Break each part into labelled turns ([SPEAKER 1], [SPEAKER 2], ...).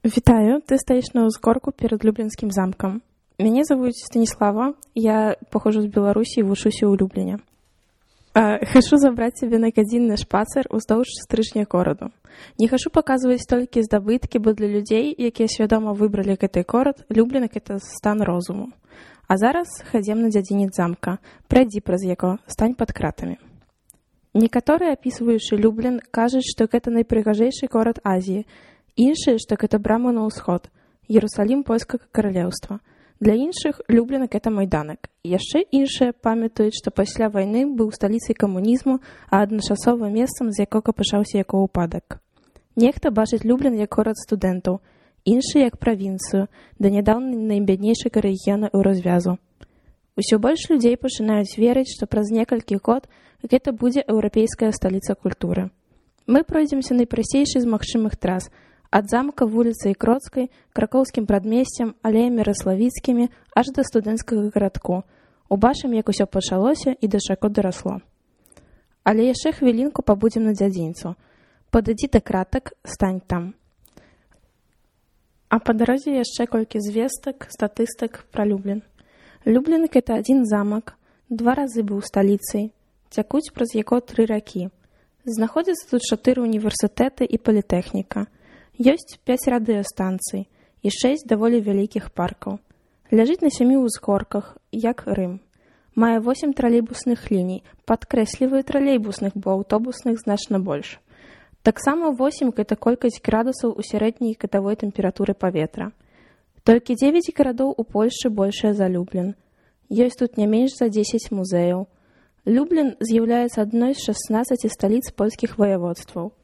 [SPEAKER 1] Вітаю, ты стаіш на ўзгорку перад Люблінскім замкам. Мяне завуць Станіслава, я паходжу з Беларусі і вучуся ў Любліне. Хачу забраць цябе на гадзінны шпацыр уздоўж стрыжня гораду. Не хачу паказваць толькі здабыткі, бо для людзей, якія свядома выбралі гэты горад, Люблін — гэта стан розуму. А зараз хадзем на дзядзінец замка, прайдзі праз яго, стань пад кратамі. Некаторыя, апісваючы Люблін, кажуць, што гэта найпрыгажэйшы горад Азіі, іншыя, што гэта брама на ўсход, Іерусалім польскага каралеўства. Для іншых Люблін — гэта майданак. Яшчэ іншыя памятаюць, што пасля вайны быў сталіцай камунізму, а адначасова месцам, з якога пачаўся яго ўпадак. Нехта бачыць Люблін як горад студэнтаў, іншыя як правінцыю, да нядаўна найбяднейшага рэгіёна ў развязу. Усё больш людзей пачынаюць верыць, што праз некалькі год гэта будзе еўрапейская сталіца культуры. Мы пройдземся найпрасцейшай з магчымых трас — ад замка вуліцай Кроцкай, кракоўскім прадмесцем, алеямі раславіцкімі, аж да студэнцкага гарадку. Убачым, як усё пачалося і да чаго дарасло. Але яшчэ хвілінку пабудзем на дзядзінцу. Падыдзі да кратак, стань там. А па дарозе яшчэ колькі звестак, статыстык пра Люблін. Люблін — гэта адзін замак, 2 разы быў сталіцай, цякуць праз яго 3 ракі. Знаходзяцца тут 4 універсітэты і палітэхніка. Ёсць 5 радыёстанцый і 6 даволі вялікіх паркаў. Ляжыць на 7 узгорках, як Рым. Мае 8 тралейбусных ліній, падкрэсліваю тралейбусных, бо аўтобусных значна больш. Таксама 8 — гэта колькасць градусаў у сярэдняй гадавой тэмпературы паветра. Толькі 9 гарадоў у Польшчы большая за Люблін. Ёсць тут не менш за 10 музеяў. Люблін з'яўляецца адной з 16 сталіц польскіх ваяводстваў.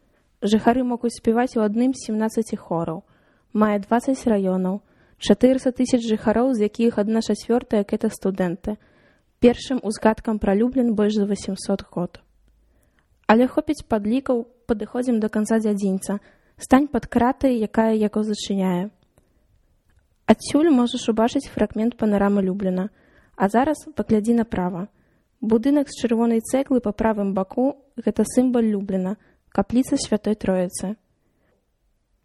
[SPEAKER 1] Жыхары могуць спяваць у адным з 17 хораў. Мае 20 раёнаў, 400 000 жыхароў, з якіх 1/4 — гэта студэнты. Першым узгадкам пра Люблін больш за 800 год. Але хопіць падлікаў, падыходзім да канца дзядзінца. Стань пад кратай, якая яго зачыняе. Адсюль можаш убачыць фрагмент панарамы Любліна. А зараз паглядзі направа. Будынак з чырвонай цэглы па правым баку — гэта сімвал Любліна, капліца Святой Троіцы.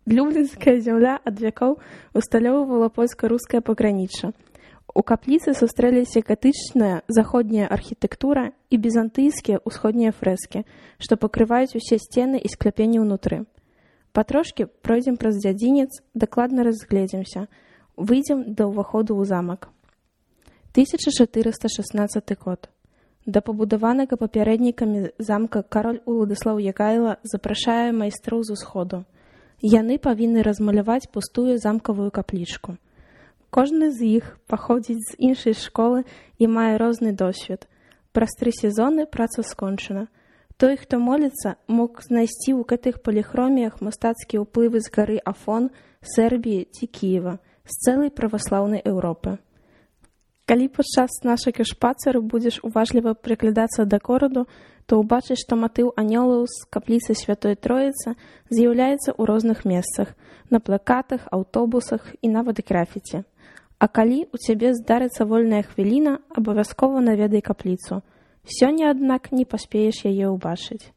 [SPEAKER 1] Люблінская зямля ад вякоў усталёўвала польска-рускае пагранічча. У капліцы сустрэліся гатычная заходняя архітэктура і бізантыйскія ўсходнія фрэскі, што пакрываюць усе сцены і скляпенні ўнутры. Патрошкі пройдзем праз дзядзінец, дакладна разгледзімся. Выйдзем да ўваходу ў замак. 1416 год. Да пабудаванага папярэднікамі замка кароль Уладыслаў Ягайла запрашае майстроў з усходу. Яны павінны размаляваць пустую замкавую каплічку. Кожны з іх паходзіць з іншай школы і мае розны досвед. Праз 3 сезоны праца скончана. Той, хто моліцца, мог знайсці ў гэтых паліхроміях мастацкія ўплывы з гары Афон, Сербіі ці Кіева, з цэлай праваслаўнай Еўропы. Калі падчас нашага шпацыру будзеш уважліва прыглядацца да гораду, то ўбачыш, што матыў анёлаў з капліцы Святой Троіцы з'яўляецца ў розных месцах, на плакатах, аўтобусах і нават графіці. А калі ў цябе здарыцца вольная хвіліна, абавязкова наведай капліцу. Сёння, аднак, не паспееш яе ўбачыць.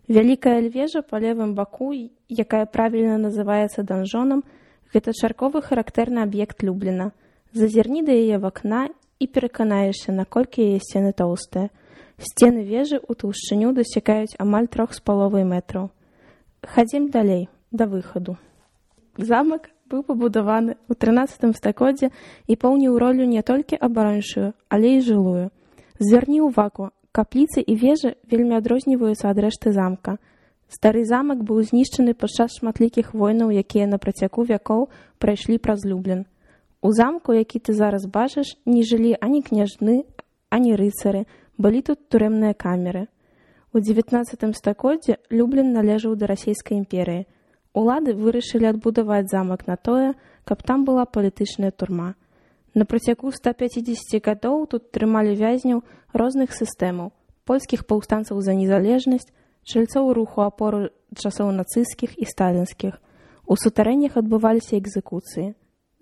[SPEAKER 1] Вялікая вежа па левым баку, якая правільна называецца данжонам, гэта чарговы характэрны аб'ект Любліна. Зазірні да яе вакна і пераканаешся, наколькі яе сцены тоўстыя. Сцены вежы ў таўшчыню дасягаюць амаль 3,5 метраў. Хадзім далей, да выхаду. Замак быў пабудаваны ў 13 стагоддзі і паўніў ролю не толькі абарончую, але і жылую. Звярні ўвагу, капліцы і вежы вельмі адрозніваюцца ад рэшты замка. Стары замак быў знішчаны падчас шматлікіх войнаў, якія на працягу вякоў прайшлі праз Люблін. У замку, які ты зараз бачыш, не жылі ані княжны, ані рыцары, былі тут турэмныя камеры. У 19 стагоддзі Люблін належаў да расійскай імперыі. Улады вырашылі адбудаваць замак на тое, каб там была палітычная турма. На працягу 150 гадоў тут трымалі вязняў розных сістэмаў, польскіх паўстанцаў за незалежнасць, чальцоў руху апору часоў нацысцкіх і сталінскіх. У сутарэннях адбываліся экзекуцыі.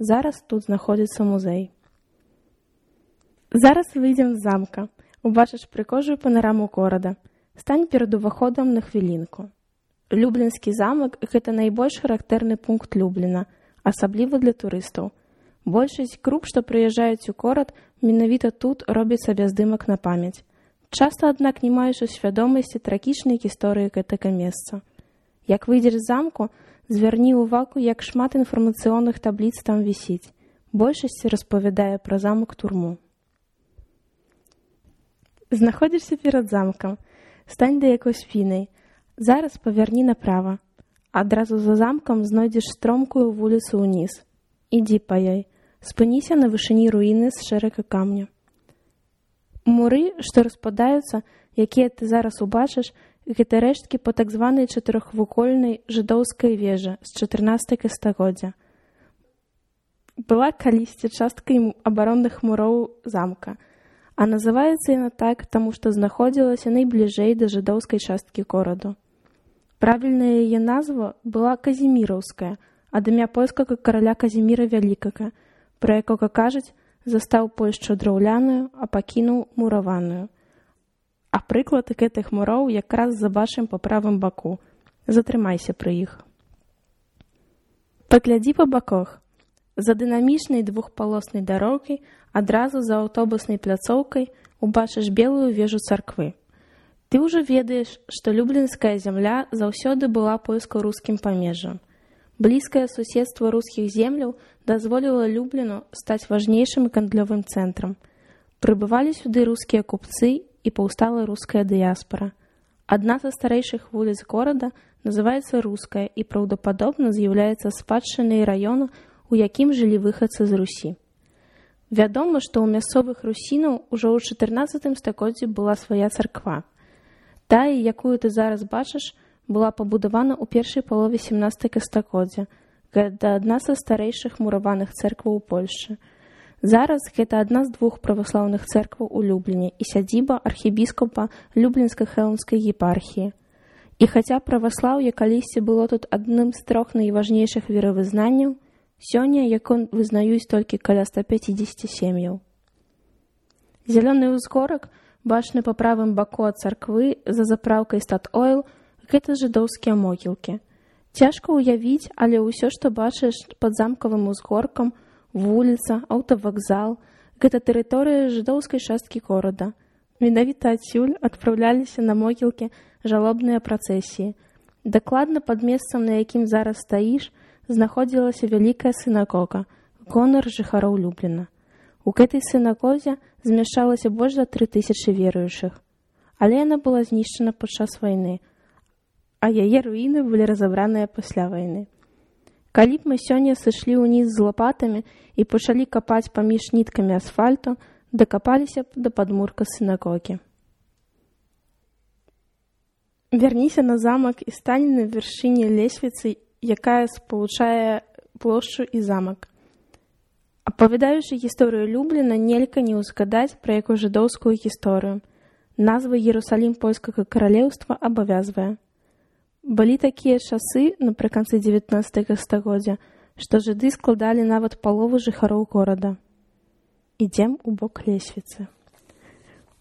[SPEAKER 1] Зараз тут знаходзіцца музей. Зараз выйдзем з замка. Убачыш прыгожую панараму горада. Стань перад уваходам на хвілінку. Люблінскі замак — гэта найбольш характэрны пункт Любліна, асабліва для турыстаў. Большасць груп, што прыязджаюць у горад, менавіта тут робяць сабе здымак на памяць. Часта, аднак, не маеш у свядомасці трагічнай гісторыі гэтага месца. Як выйдзеш з замку, звярні ўвагу, як шмат інфармацыйных табліц там вісіць. Большасць распавядае пра замак-турму. Знаходзішся перад замкам. Стань да якой спінай. Зараз павярні направа. Адразу за замкам знойдзеш стромкую вуліцу ўніз. Ідзі па ёй. Спыніся на вышыні руіны з шэрака камня. Муры, што распадаюцца, якія ты зараз убачыш, гэта рэшткі па так званай чатырохвугольнай жыдоўскай вежы з 14 стагоддзя. Была калісьці часткай абаронных муроў замка, а называецца яна так, таму што знаходзілася найбліжэй да жыдоўскай часткі гораду. Правільная яе назва была Казіміраўская, ад імя польскага караля Казіміра Вялікага, пра якога кажуць, застаў Польшчу драўляную, а пакінуў мураваную. А прыклад гэтых муроў якраз забачым па правым баку. Затрымайся пры іх. Паглядзі па баках. За дынамічнай двухпалоснай дарогай, адразу за аўтобуснай пляцоўкай убачыш белую вежу царквы. Ты ўжо ведаеш, што люблінская зямля заўсёды была польска-рускім памежжам. Блізкае суседства рускіх земляў дазволіла Любліну стаць важнейшым гандлёвым цэнтрам. Прыбывалі сюды рускія купцы і паўстала руская дыяспара. Адна са старэйшых вуліц горада называецца Руская і праўдападобна з'яўляецца спадчынай раёну, у якім жылі выхадцы з Русі. Вядома, што ў мясцовых русінаў ужо ў 14 стагоддзі была свая царква. Тая, якую ты зараз бачыш, была пабудавана ў першай палове 17 стагоддзя. Гэта адна са старэйшых мураваных цэркваў у Польшчы. Зараз гэта адна з двух праваслаўных цэркваў у Любліне і сядзіба архібіскупа Люблінска-Хелмскай епархіі. І хаця праваслаўе калісьці было тут адным з трох найважнейшых веравызнанняў, сёння якон вызнаюць толькі каля 150 сем'яў. Зялёны ўзгорак, бачны па правым баку ад царквы за запраўкай Стат-Ойл, гэта жыдоўскія могілкі. Цяжка ўявіць, але ўсё, што бачыш пад замкавым узгоркам, вуліца, аўтавакзал, гэта тэрыторыя жыдоўскай часткі горада. Менавіта адсюль адпраўляліся на могілкі жалобныя працэсіі. Дакладна пад месцам, на якім зараз стаіш, знаходзілася вялікая сінагога, гонар жыхароў Любліна. У гэтай сінагозе змяшчалася больш за 3000 веруючых. Але яна была знішчана падчас вайны, а яе руіны былі разабраныя пасля вайны. Калі б мы сёння сышлі ўніз з лапатамі і пачалі капаць паміж ніткамі асфальту, дакапаліся б да падмурка сінагогі. Вярніся на замак і стань на вяршыні лесвіцы, якая спалучае плошчу і замак. Апавядаючы гісторыю Любліна, нельга не ўзгадаць пра яго жыдоўскую гісторыю. Назва Іерусалім польскага каралеўства абавязвае. Былі такія часы напрыканцы 19 стагоддзя, што жыды складалі нават палову жыхароў горада. Ідзем у бок лесвіцы.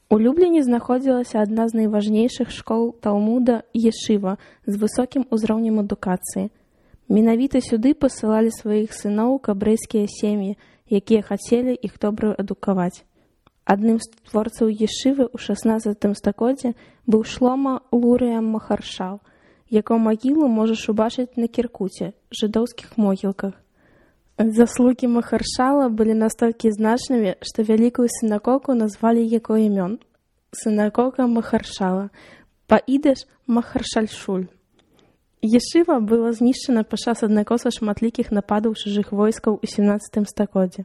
[SPEAKER 1] У Любліне знаходзілася адна з найважнейшых школ Талмуда Ешыва з высокім узроўнем адукацыі. Менавіта сюды пасылалі сваіх сыноў кабрэйскія сем'і, якія хацелі іх добра адукаваць. Адным з творцаў Ешывы ў 16 стагоддзі быў Шлома Лурыя Махаршал, яго магілу можаш убачыць на Кіркуце, жыдоўскіх могілках. Заслугі Махаршала былі настолькі значнымі, што вялікую сінагогу назвалі яго імён. Сінагога Махаршала, па-ідыш Махаршальшуль. Ешыва была знішчана падчас аднаго са шматлікіх нападаў чужых войскаў у 17 стагоддзі.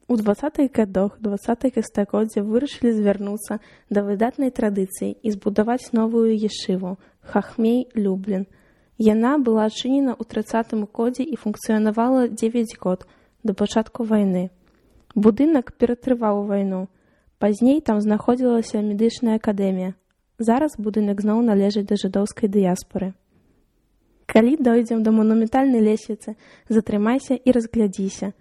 [SPEAKER 1] У 20-х гадах 20-х стагоддзя вырашылі звярнуцца да выдатнай традыцыі і збудаваць новую ешыву Хахмей Люблін. Яна была адчынена ў 30-м годзе і функцыянавала 9 год да пачатку вайны. Будынак ператрываў вайну. Пазней там знаходзілася медычная акадэмія. Зараз будынак зноў належыць да жыдоўскай дыяспары. Калі дойдзем да манументальнай лесвіцы, затрымайся і разглядзіся.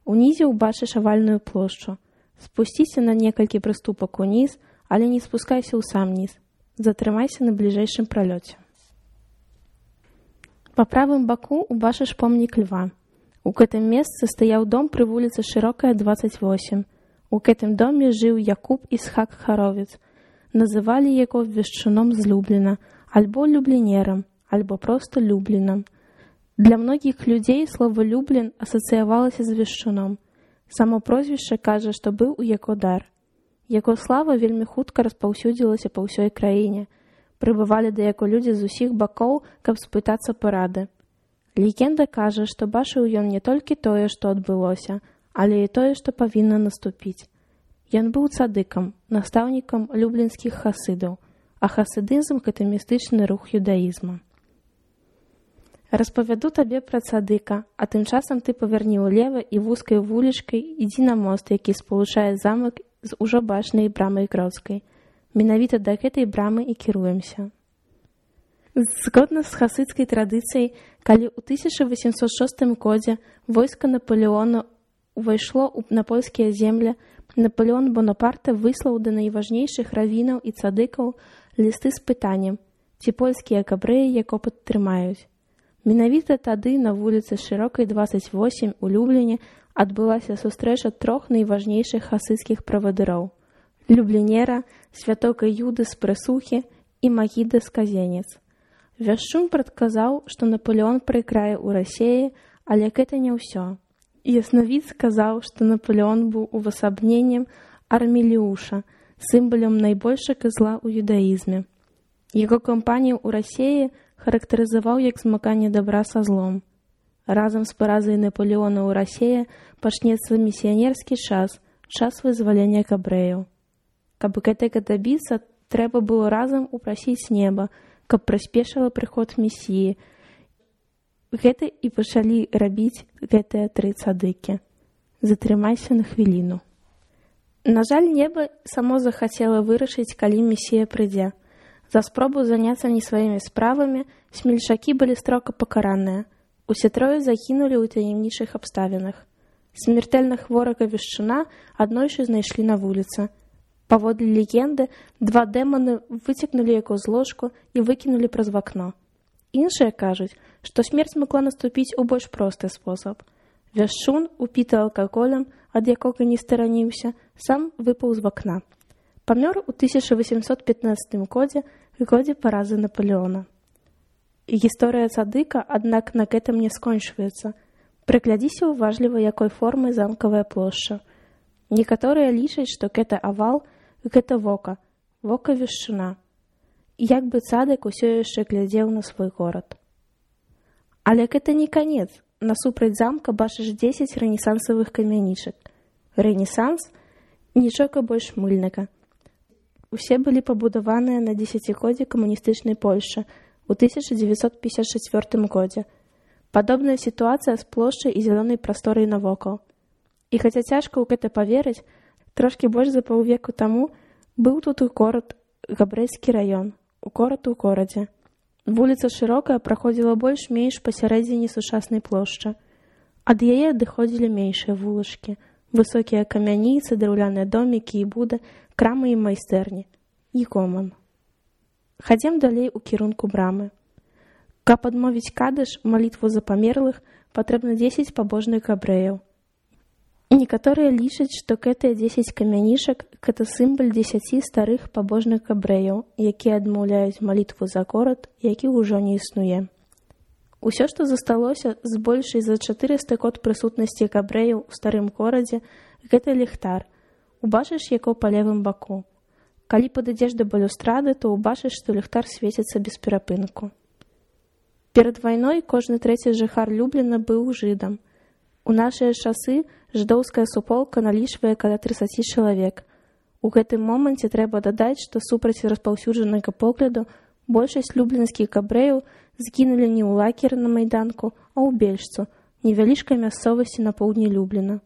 [SPEAKER 1] Унізе ўбачыш авальную плошчу. Спусціся на некалькі прыступак уніз, але не спускайся ў сам ніз. Затрымайся на бліжэйшым пралёце. Па правым баку ўбачыш помнік льва. У гэтым месцы стаяў дом пры вуліцы Шырокая, 28. У гэтым доме жыў Якуб Ісхак Харовец. Называлі яго вешчуном з Любліна, альбо люблінерам, альбо проста Люблінам. Для многіх людзей слова «Люблін» асацыявалася з вешчуном. Само прозвішча кажа, што быў у яго дар. Яго слава вельмі хутка распаўсюдзілася па ўсёй краіне. Прыбывалі да яго людзі з усіх бакоў, каб спытацца парады. Легенда кажа, што бачыў ён не толькі тое, што адбылося, але і тое, што павінна наступіць. Ён быў цадыкам, настаўнікам люблінскіх хасідаў, а хасідызм – гэта містычны рух юдаізма. Распавяду табе пра цадыка, а тым часам ты павярні ўлева і вузкай вулічкай ідзі на мост, які спалучае замак з ужо бачнай брамай Гродскай. Менавіта да гэтай брамы і кіруемся. Згодна з хасідскай традыцыяй, калі ў 1806 годзе войска Напалеона увайшло на польскія землі, Напалеон Бонапарта выслаў да найважнейшых равінаў і цадыкаў лісты з пытаннем, ці польскія габрэі яго падтрымаюць. Менавіта тады на вуліцы Шырокай, 28 у Любліне адбылася сустрэча трох найважнейшых хасідскіх правадыроў – люблінера, святога Юды з Прысухі і Магіда з Казенец. Вяшчун прадказаў, што Напалеон прайграе ў Расіі, але гэта не ўсё. Яснавід сказаў, што Напалеон быў увасабненнем Арміліуша, сімвалам найбольшага зла ў юдаізме. Яго кампанію ў Расіі характарызаваў як змаганне дабра са злом. Разам з паразай Напалеона ў Расіі пачнецца місіянерскі час, час вызвалення габрэяў. Каб гэтага дабіцца, трэба было разам упрасіць неба, каб прыспешыла прыход месіі. Гэта і пачалі рабіць гэтыя тры цадыкі. Затрымайся на хвіліну. На жаль, неба само захацела вырашыць, калі месія прыйдзе. За спробу заняцца не сваімі справамі смельчакі былі строга пакараныя. Усе трое загінулі ў таямнічых абставінах. Смертэльна хворага вешчуна аднойчы знайшлі на вуліцы. Паводле легенды, два дэманы выцягнулі яго з ложку і выкінулі праз вакно. Іншыя кажуць, што смерць магла наступіць у больш просты спосаб. Вяшчун, упіты алкаголем, ад якога не стараніўся, сам выпаў з вакна. Памёр у 1815 годзе паразы Напалеона. Гісторыя цадыка, аднак, на гэтым не скончваецца. Прыглядзіся ўважліва, якой формы замкавая плошча. Некаторыя лічаць, што гэта авал, гэта вока вешчуна. Як бы цадык усё яшчэ глядзеў на свой горад. Але гэта не канец. Насупраць замка бачыш 10 рэнесансавых камянічак. Рэнесанс – нічога больш мыльнага. Усе былі пабудаваныя на дзесяцігоддзі камуністычнай Польшы ў 1954 годзе. Падобная сітуацыя з плошчай і зялёнай прасторай навокал. І хаця цяжка ў гэта паверыць, трошкі больш за паўвеку таму быў тут і горад, габрэйскі раён, горад у горадзе. Вуліца Шырокая праходзіла больш-менш пасярэдзіне сучаснай плошчы. Ад яе адыходзілі меншыя вулачкі, высокія камяніцы, драўляныя домікі і буды, крамы і майстэрні. І гоман. Хадзем далей у кірунку брамы. Каб адмовіць кадыш, малітву за памерлых, патрэбна 10 пабожных габрэяў. Некаторыя лічаць, што гэтыя 10 камянішак – гэта сімвал 10 старых пабожных габрэяў, якія адмаўляюць малітву за горад, які ўжо не існуе. Усё, што засталося з большай за 400 год прысутнасці габрэяў у старым горадзе – гэта ліхтар. Убачыш яго па левым баку. Калі падыдзеш да балюстрады, то убачыш, што ліхтар свеціцца без перапынку. Перад вайной кожны трэці жыхар Любліна быў жыдам. У нашыя часы жыдоўская суполка налічвае каля 30 чалавек. У гэтым моманце трэба дадаць, што супраць распаўсюджанага погляду большасць люблінскіх габрэяў згінулі не ў лагеры на майданку, а ў Бельшцу, невялічкай мясцовасці на поўдні Любліна.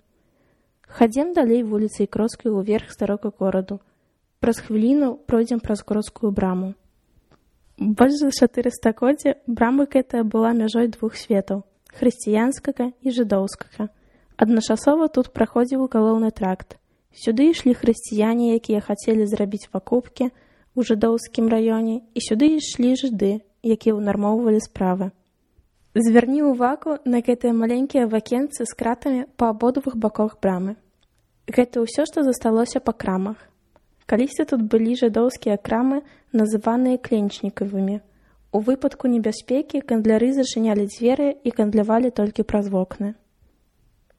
[SPEAKER 1] Хадзем далей вуліцай Гродскай уверх старога гораду. Праз хвіліну пройдзем праз Гродскую браму. Больш за 400 годзе брама гэтая была мяжой двух светаў – хрысціянскага і жыдоўскага. Адначасова тут праходзіў галоўны тракт. Сюды ішлі хрысціяне, якія хацелі зрабіць пакупкі ў жыдоўскім раёне, і сюды ішлі жыды, якія ўнармоўвалі справы. Звярні ўвагу на гэтыя маленькія вакенцы з кратамі па абодвух баках брамы. Гэта ўсё, што засталося па крамах. Калісьці тут былі жыдоўскія крамы, называныя кленчнікавымі. У выпадку небяспекі гандляры зачынялі дзверы і гандлявалі толькі праз вокны.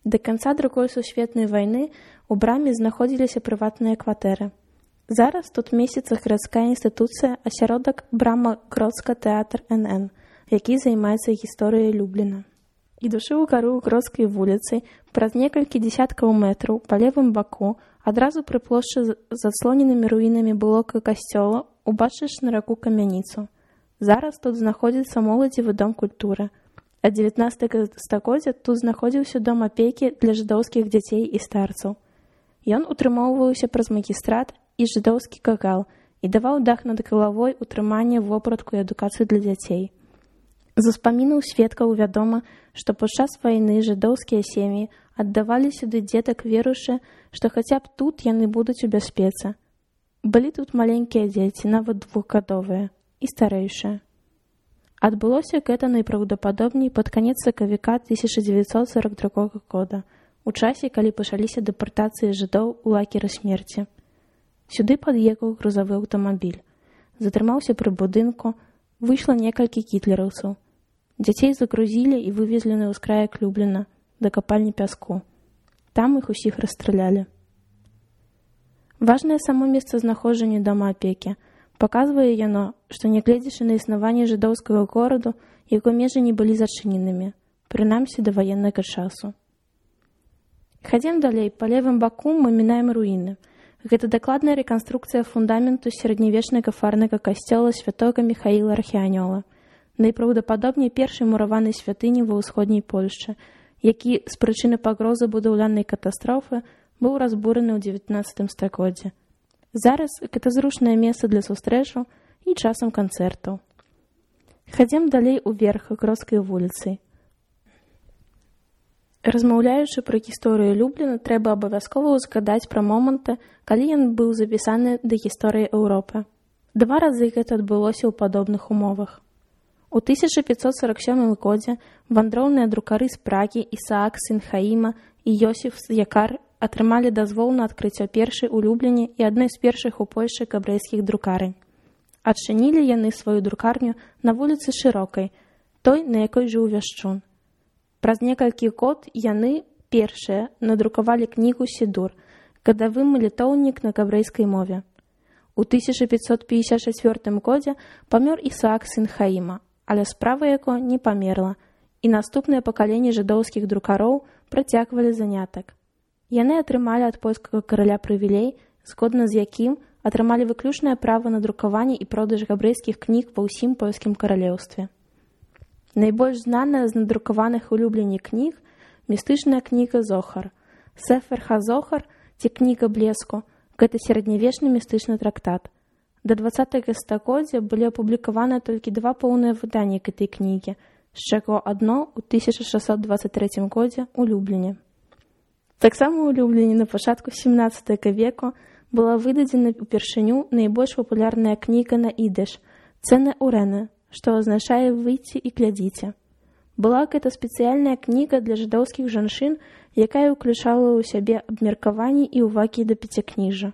[SPEAKER 1] Да канца Другой сусветнай вайны ў браме знаходзіліся прыватныя кватэры. Зараз тут месціцца гарадская інстытуцыя, асяродак брама Гродска тэатр НН, які займаецца гісторыяй Любліна. Ідучы ў гару Гродскай вуліцай, праз некалькі дзесяткаў метраў па левым баку, адразу пры плошчы з адслоненымі руінамі былога касцёла, убачыш на раку камяніцу. Зараз тут знаходзіцца моладзевы дом культуры. Ад 19 стагоддзя тут знаходзіўся дом апекі для жыдоўскіх дзяцей і старцаў. Ён утрымоўваўся праз магістрат і жыдоўскі кагал і даваў дах над галавой, утрыманне, вопратку і адукацыю для дзяцей. З успамінаў сведкаў вядома, што падчас вайны жыдоўскія сем'і аддавалі сюды дзетак, веруючы, што хаця б тут яны будуць у бяспецы. Былі тут маленькія дзеці, нават двухгадовыя, і старэйшыя. Адбылося гэта найпраўдападобней пад канец сакавіка 1942 года, у часе, калі пачаліся дэпартацыі жыдоў у лагеры смерці. Сюды пад'ехаў грузавы аўтамабіль. Затрымаўся пры будынку, выйшла некалькі гітлераўцаў. Дзяцей загрузілі і вывезлі на ўскраек Любліна, да капальні пяску. Там іх усіх расстралялі. Важнае само месцазнаходжанне дома апекі. Паказвае яно, што нягледзячы на існаванне жыдоўскага гораду, яго межы не былі зачыненымі, прынамсі да ваеннага часу. Хадзім далей, па левым баку мы мінаем руіны. Гэта дакладная рэканструкцыя фундаменту сярэднявечнага фарнага касцёла святога Міхаіла Архіанёла, найпраўдападобней першай мураванай святыні ва ўсходняй Польшчы, які з прычыны пагрозы будаўлянай катастрофы быў разбураны ў 19 стагоддзі. Зараз гэта зручнае месца для сустрэчаў і часам канцэртаў. Хадзім далей уверх Гродскай вуліцай. Размаўляючы пра гісторыю Любліна, трэба абавязкова ўзгадаць пра моманты, калі ён быў запісаны да гісторыі Еўропы. 2 разы гэта адбылося ў падобных умовах. У 1547 годзе вандроўныя друкары з Прагі Ісаак сын Хаіма і Йосіф Якар атрымалі дазвол на адкрыццё першай у Любліне і адной з першых у Польшчы габрэйскіх друкарань. Адчынілі яны сваю друкарню на вуліцы Шырокай, той, на якой жыў Вяшчун. Праз некалькі год яны, першыя, надрукавалі кнігу «Сідур», гадавы малітоўнік на габрэйскай мове. У 1554 годзе памёр Ісаак сын Хаіма, але справа яго не памерла, і наступныя пакаленні жыдоўскіх друкароў працягвалі занятак. Яны атрымалі ад польскага караля прывілей, згодна з якім атрымалі выключнае права на друкаванне і продаж габрэйскіх кніг ва ўсім польскім каралеўстве. Найбольш знаная з надрукаваных у Любліне кніг містычная кніга «Зохар». Сефер ха-Зохар, ці кніга блеску, гэта сярэднявечны містычны трактат. Да 20 стагоддзя былі апублікаваны толькі 2 поўныя выданні гэтай кнігі, з чаго адно ў 1623 годзе ў Любліне. Таксама ў Любліне на пачатку 17 веку была выдадзена ўпершыню найбольш папулярная кніга на ідыш «Цэны Урэны», што азначае «выйдзі і глядзіце». Была гэта спецыяльная кніга для жыдоўскіх жанчын, якая ўключала ў сябе абмеркаванні і ўвагі да пяцікніжжа.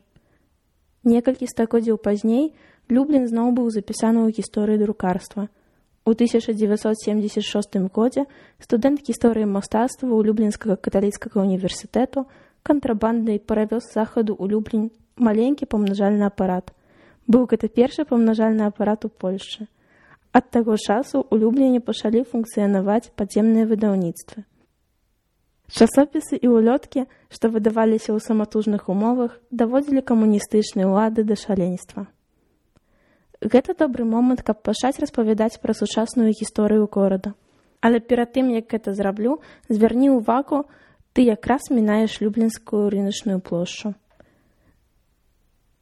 [SPEAKER 1] Некалькі стагоддзяў пазней Люблін зноў быў запісаны ў гісторыі друкарства. У 1976 годзе студэнт гісторыі мастацтва ў Люблінскага каталіцкага універсітэту кантрабандай перавёз з захаду ў Люблін маленькі памнажальны апарат. Быў гэта першы памнажальны апарат у Польшчы. Ад таго часу ў Любліне пачалі функцыянаваць падземныя выдаўніцтвы. Часопісы і ўлёткі, што выдаваліся ў саматужных умовах, даводзілі камуністычныя ўлады да шаленства. Гэта добры момант, каб пачаць распавядаць пра сучасную гісторыю горада. Але перад тым, як гэта зраблю, звярні ўвагу, ты якраз мінаеш Люблінскую рыначную плошчу.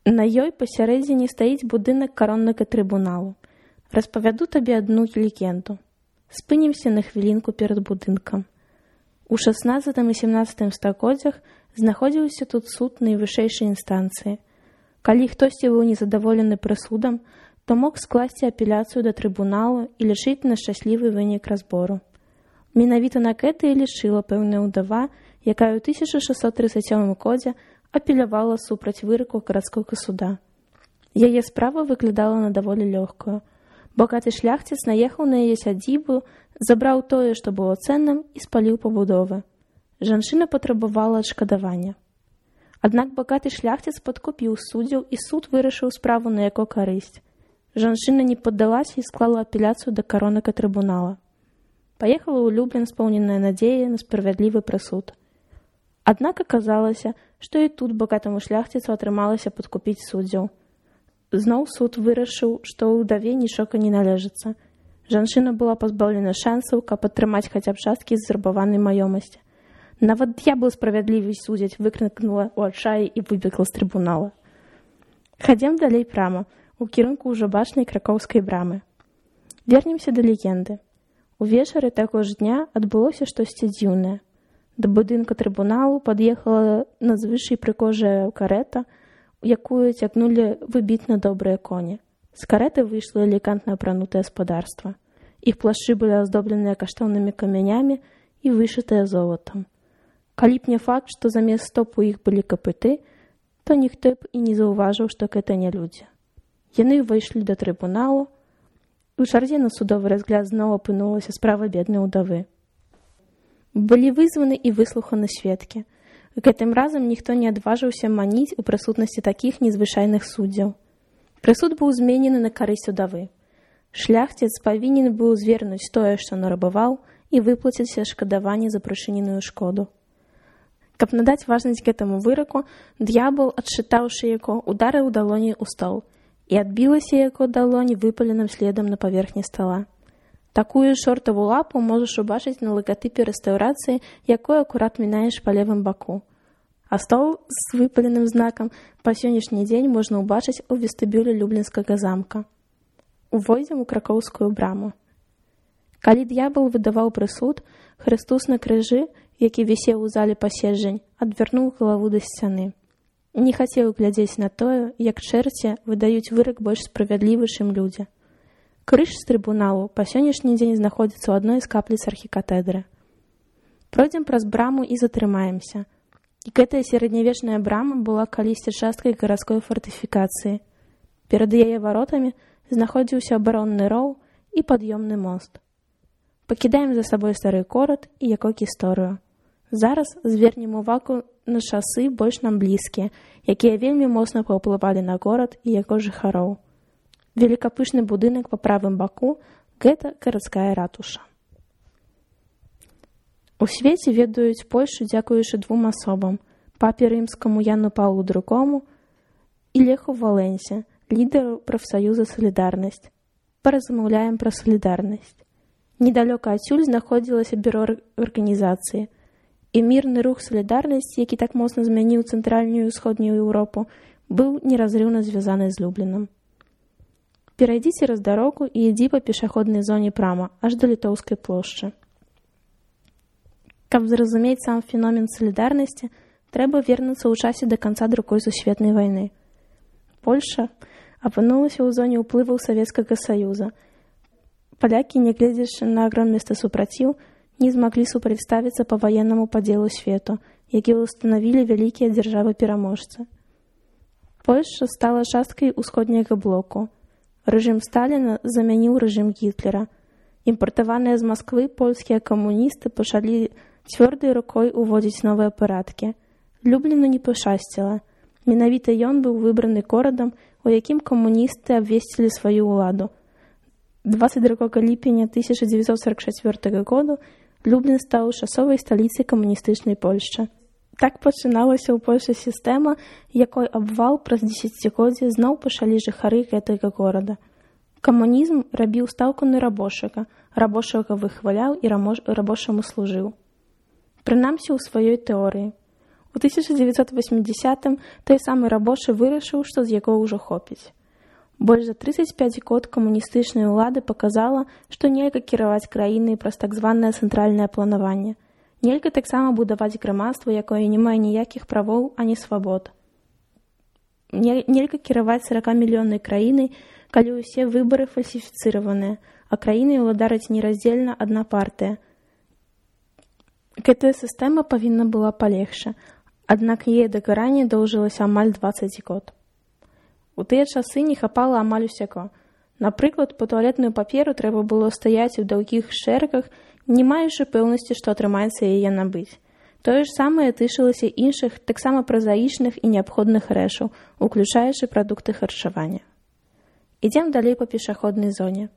[SPEAKER 1] На ёй пасярэдзіне стаіць будынак кароннага трыбуналу. Распавяду табе адну легенду. Спынімся на хвілінку перад будынкам. У 16 і 17 стагоддзях знаходзіўся тут суд найвышэйшай інстанцыі. Калі хтосьці быў незадаволены прысудам, то мог скласці апеляцыю да трыбуналу і лічыць на шчаслівы вынік разбору. Менавіта на гэта і лічыла пэўная ўдава, якая ў 1637 годзе апелявала супраць выраку гарадскога суда. Яе справа выглядала на даволі лёгкую. Багаты шляхціц наехаў на яе сядзібу, забраў тое, што было цэнным, і спаліў пабудовы. Жанчына патрабавала адшкадавання. Аднак багаты шляхціц падкупіў суддзяў, і суд вырашыў справу на яго карысць. Жанчына не паддалася і склала апеляцыю да каронага трыбунала. Паехала ў Люблін споўненая надзея на справядлівы прысуд. Аднак аказалася, што і тут багатаму шляхціцу атрымалася падкупіць суддзяў. Зноў суд вырашыў, што ўдаве нічога не належыцца. Жанчына была пазбаўлена шансаў, каб атрымаць хаця б часткі з зрабаванай маёмасці. Нават д'ябл справядлівасць судзяць, выкрыкнула ў адчаі і выбегла з трыбунала. Хадзем далей прама, у кірунку ўжо бачнай кракоўскай брамы. Вернемся да легенды. Увечары таго ж дня адбылося штосьці дзіўнае. Да будынка трыбуналу пад'ехала надзвычай прыгожая карета, якую цягнулі выбітна добрыя коні. З карэты выйшла элегантна апранутае спадарства. Іх плашчы былі аздобленыя каштоўнымі камянямі і вышытыя золатам. Калі б не факт, што замест стоп у іх былі капыты, то ніхто б і не заўважыў, што гэта не людзі. Яны ўвайшлі да трыбуналу. У чарзе на судовы разгляд зноў апынулася справа беднай удавы. Былі вызваны і выслуханы сведкі. Гэтым разам ніхто не адважыўся маніць у прысутнасці такіх незвычайных суддзяў. Прысуд быў зменены на карысць удавы. Шляхціц павінен быў звернуць тое, што нарабаваў, і выплаціць адшкадаванне за прычыненую шкоду. Каб надаць важнасць гэтаму выраку, д'ябл, адшчытаўшы яго, ударыў далоняй у стол, і адбілася яго далонь выпаленым следам на паверхні стала. Такую шортаву лапу можаш убачыць на лагатыпе рэстаўрацыі, якой акурат мінаеш па левым баку. А стол з выпаленым знакам па сённяшні дзень можна ўбачыць у вестыбюлі Люблінскага замка. Увойдзем у кракоўскую браму. Калі д'ябл выдаваў прысуд, Хрыстус на крыжы, які вісеў у зале паседжань, адвярнуў галаву да сцяны. Не хацеў глядзець на тое, як чэрці выдаюць вырак больш справядлівы, чым людзі. Крыж з трыбуналу па сённяшні дзень знаходзіцца ў адной з капліц архікатэдры. Пройдзем праз браму і затрымаемся. І гэтая сярэднявечная брама была калісьці часткай гарадской фартыфікацыі. Перад яе варотамі знаходзіўся абаронны роў і пад'ёмны мост. Пакідаем за сабой стары горад і яго гісторыю. Зараз звернем увагу на часы больш нам блізкія, якія вельмі моцна паўплывалі на горад і яго жыхароў. Великапышны будынак па правым баку – гэта гарадская ратуша. У свеце ведаюць Польшу дзякуючы двум асобам – папе рымскаму Яну Паўлу II і Леху Валенсе, лідару прафсаюза «Салідарнасць». Паразмаўляем пра салідарнасць. Недалёка адсюль знаходзілася бюро арганізацыі. І мірны рух «Салідарнасць», які так моцна змяніў цэнтральную і ўсходнюю Еўропу, быў неразрыўна звязаны з Люблінам. Перайдзі цераз дарогу і ідзі па пешаходнай зоне прама, аж да Літоўскай плошчы. Каб зразумець сам феномен салідарнасці, трэба вернуцца ў часе да канца Другой сусветнай вайны. Польша апынулася ў зоне ўплываў Савецкага Саюза. Палякі, нягледзячы на агромністы супраціў, не змаглі супрацьставіцца па ваеннаму падзелу свету, які ўстанавілі вялікія дзяржавы-пераможцы. Польша стала часткай усходняга блоку. Рэжым Сталіна замяніў рэжым Гітлера. Імпартаваныя з Масквы польскія камуністы пачалі цвёрдай рукой уводзіць новыя парадкі. Любліну не пашасціла. Менавіта ён быў выбраны горадам, у якім камуністы абвесцілі сваю ўладу. 22 ліпеня 1944 году Люблін стаў часовай сталіцай камуністычнай Польшчы. Так пачыналася ў Польшы сістэма, якой абвал праз дзесяцігоддзе зноў пачалі жыхары гэтага горада. Камунізм рабіў стаўку на рабочага, рабочага выхваляў і рабочаму служыў. Прынамсі ў сваёй тэорыі. У 1980-м той самы рабочы вырашыў, што з яго ўжо хопіць. Больш за 35 год камуністычнай улады паказала, што нельга кіраваць краінай праз так званае цэнтральнае планаванне. Нельга таксама будаваць грамадства, якое не мае ніякіх правоў ані свабод. Нельга кіраваць 40-мільённай краінай, калі ўсе выбары фальсіфіцыраваныя, а краінай уладарыць нераздзельна адна партыя. Гэтая сістэма павінна была палегчы, аднак яе дакаранне доўжылася амаль 20 год. У тыя часы не хапала амаль усяго. Напрыклад, па туалетную паперу трэба было стаяць у доўгіх шэрагах, не маючы пэўнасці, што атрымаецца яе набыць. Тое ж самае тычылася іншых, таксама празаічных і неабходных рэчаў, уключаючы прадукты харчавання. Ідзем далей па пешаходнай зоне.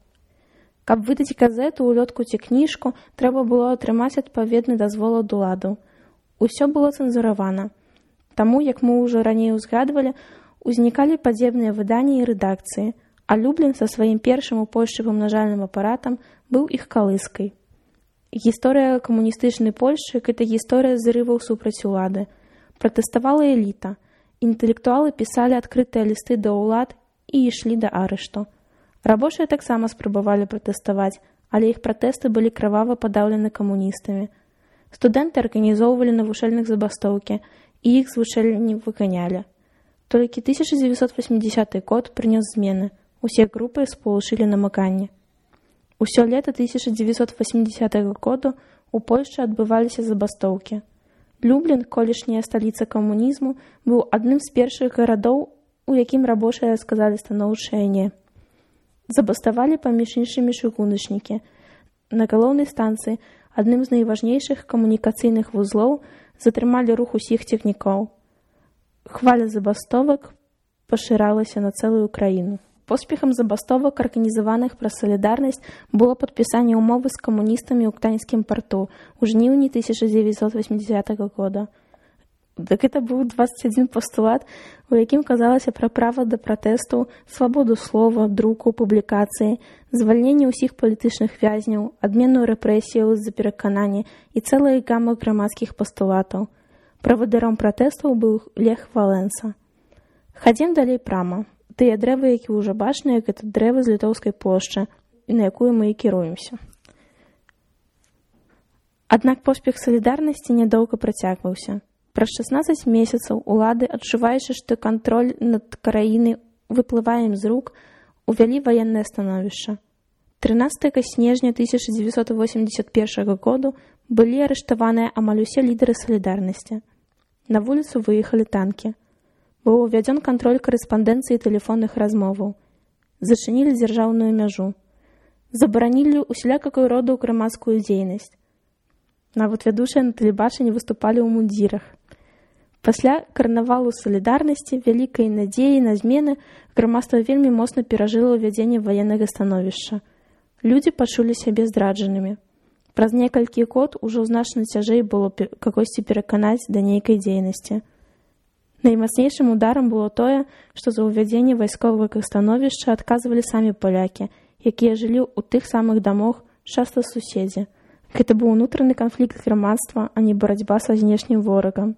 [SPEAKER 1] Каб выдаць газету, улётку ці кніжку, трэба было атрымаць адпаведны дазвол ад уладаў. Усё было цэнзуравана. Таму, як мы ўжо раней узгадвалі, узнікалі падзебныя выданні і рэдакцыі, а Люблін са сваім першым у Польшчы памнажальным апаратам быў іх калыскай. Гісторыя камуністычнай Польшчы – гэта гісторыя зрываў супраць улады. Пратэставала эліта. Інтэлектуалы пісалі адкрытыя лісты да ўлад і ішлі да арышту. Рабочыя таксама спрабавалі пратэставаць, але іх пратэсты былі крывава падаўлены камуністамі. Студэнты арганізоўвалі навучальных забастоўкі, і іх з вучэльні выганялі. Толькі 1980 год прынёс змены. Усе групы спалучылі намаганне. Усё лета 1980 году у Польшчы адбываліся забастоўкі. Люблін, колішняя сталіца камунізму, быў адным з першых гарадоў, у якім рабочыя сказалі станоўчае «не». Забаставалі паміж іншымі чыгуначнікі. На галоўнай станцыі, адным з найважнейшых камунікацыйных вузлоў, затрымалі рух усіх цягнікоў. Хваля забастовак пашыралася на цэлую краіну. Поспехам забастовак, арганізаваных праз салідарнасць, было падпісанне ўмовы з камуністамі ў Гданьскім парту ў жніўні 1980 года. Так гэта быў 21 пастулат, у якім казалася пра права да пратэсту, свабоду слова, друку, публікацыі, звальненне ўсіх палітычных вязняў, адмену рэпрэсіяў з-за пераканання і цэлая гама грамадскіх пастулатаў. Правадыром пратэстаў быў Лех Валенса. Хадзім далей прама. Тыя дрэвы, які ўжо бачныя, гэта дрэвы з Літоўскай плошчы, на якую мы і кіруемся. Аднак поспех салідарнасці нядоўга працягваўся. Праз 16 месяцаў улады, адчуваючы, што кантроль над краінай выплывае ім з рук, увялі ваеннае становішча. 13 снежня 1981 году былі арыштаваныя амаль усе лідары салідарнасці. На вуліцу выехалі танкі. Быў увядзён кантроль карэспандэнцыі тэлефонных размоваў. Зачынілі дзяржаўную мяжу. Забаранілі усялякую роду грамадскую дзейнасць. Нават вядучыя на тэлебачанні выступалі ў мундзірах. Пасля карнавалу салідарнасці, вялікай надзеі на змены, грамадства вельмі моцна перажыла ўвядзенне ваеннага становішча. Людзі пачулі сябе здраджанымі. Праз некалькі год ужо значна цяжэй было кагосьці пераканаць да нейкай дзейнасці. Наймацнейшым ударам было тое, што за ўвядзенне вайсковага становішча адказвалі самі палякі, якія жылі ў тых самых дамах, часта суседзі. Гэта быў унутраны канфлікт грамадства, а не барацьба са знешнім ворагам.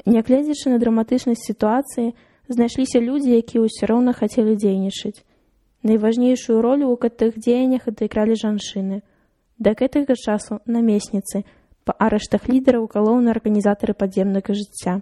[SPEAKER 1] Нягледзячы на драматычнасць сітуацыі, знайшліся людзі, якія ўсё роўна хацелі дзейнічаць. Найважнейшую ролю ў гэтых дзеяннях адыгралі жанчыны. Да гэтага часу намесніцы, па арыштах лідараў галоўныя арганізатары падземнага жыцця.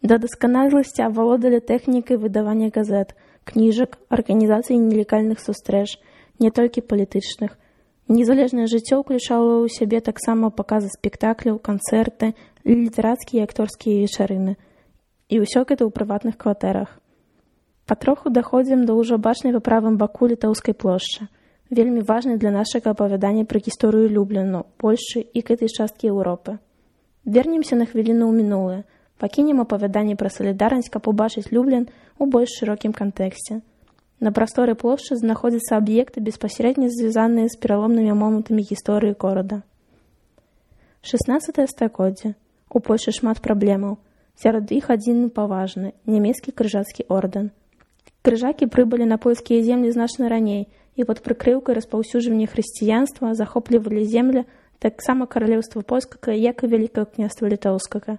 [SPEAKER 1] Да дасканаласці авалодалі тэхнікай выдавання газет, кніжак, арганізацый нелегальных сустрэч, не толькі палітычных. Незалежнае жыццё ўключала ў сябе таксама паказы спектакляў, канцэрты, літарацкія і акторскія вечарыны. І ўсё гэта ў прыватных кватэрах. Патроху даходзім да ўжо бачнай па правым баку Літоўскай плошчы. Вельмі важнай для нашага апавядання пра гісторыю Любліну, Польшчы і гэтай часткі Еўропы. Вернемся на хвіліну ў мінулае. Пакінем апавяданне пра салідарнасць, каб убачыць Люблін у больш шырокім кантэксце. На прасторы плошчы знаходзяцца аб'екты, беспасярэдна звязаныя з пераломнымі момантамі гісторыі горада. 16 стагоддзе. У Польшы шмат праблемаў. Сярод іх адзін паважны – нямецкі крыжацкі ордэн. Крыжакі прыбылі на польскія землі значна раней і пад прыкрыўкай распаўсюджвання хрысціянства захоплівалі землі таксама каралеўства польскага, як і Вялікага княства літоўскага.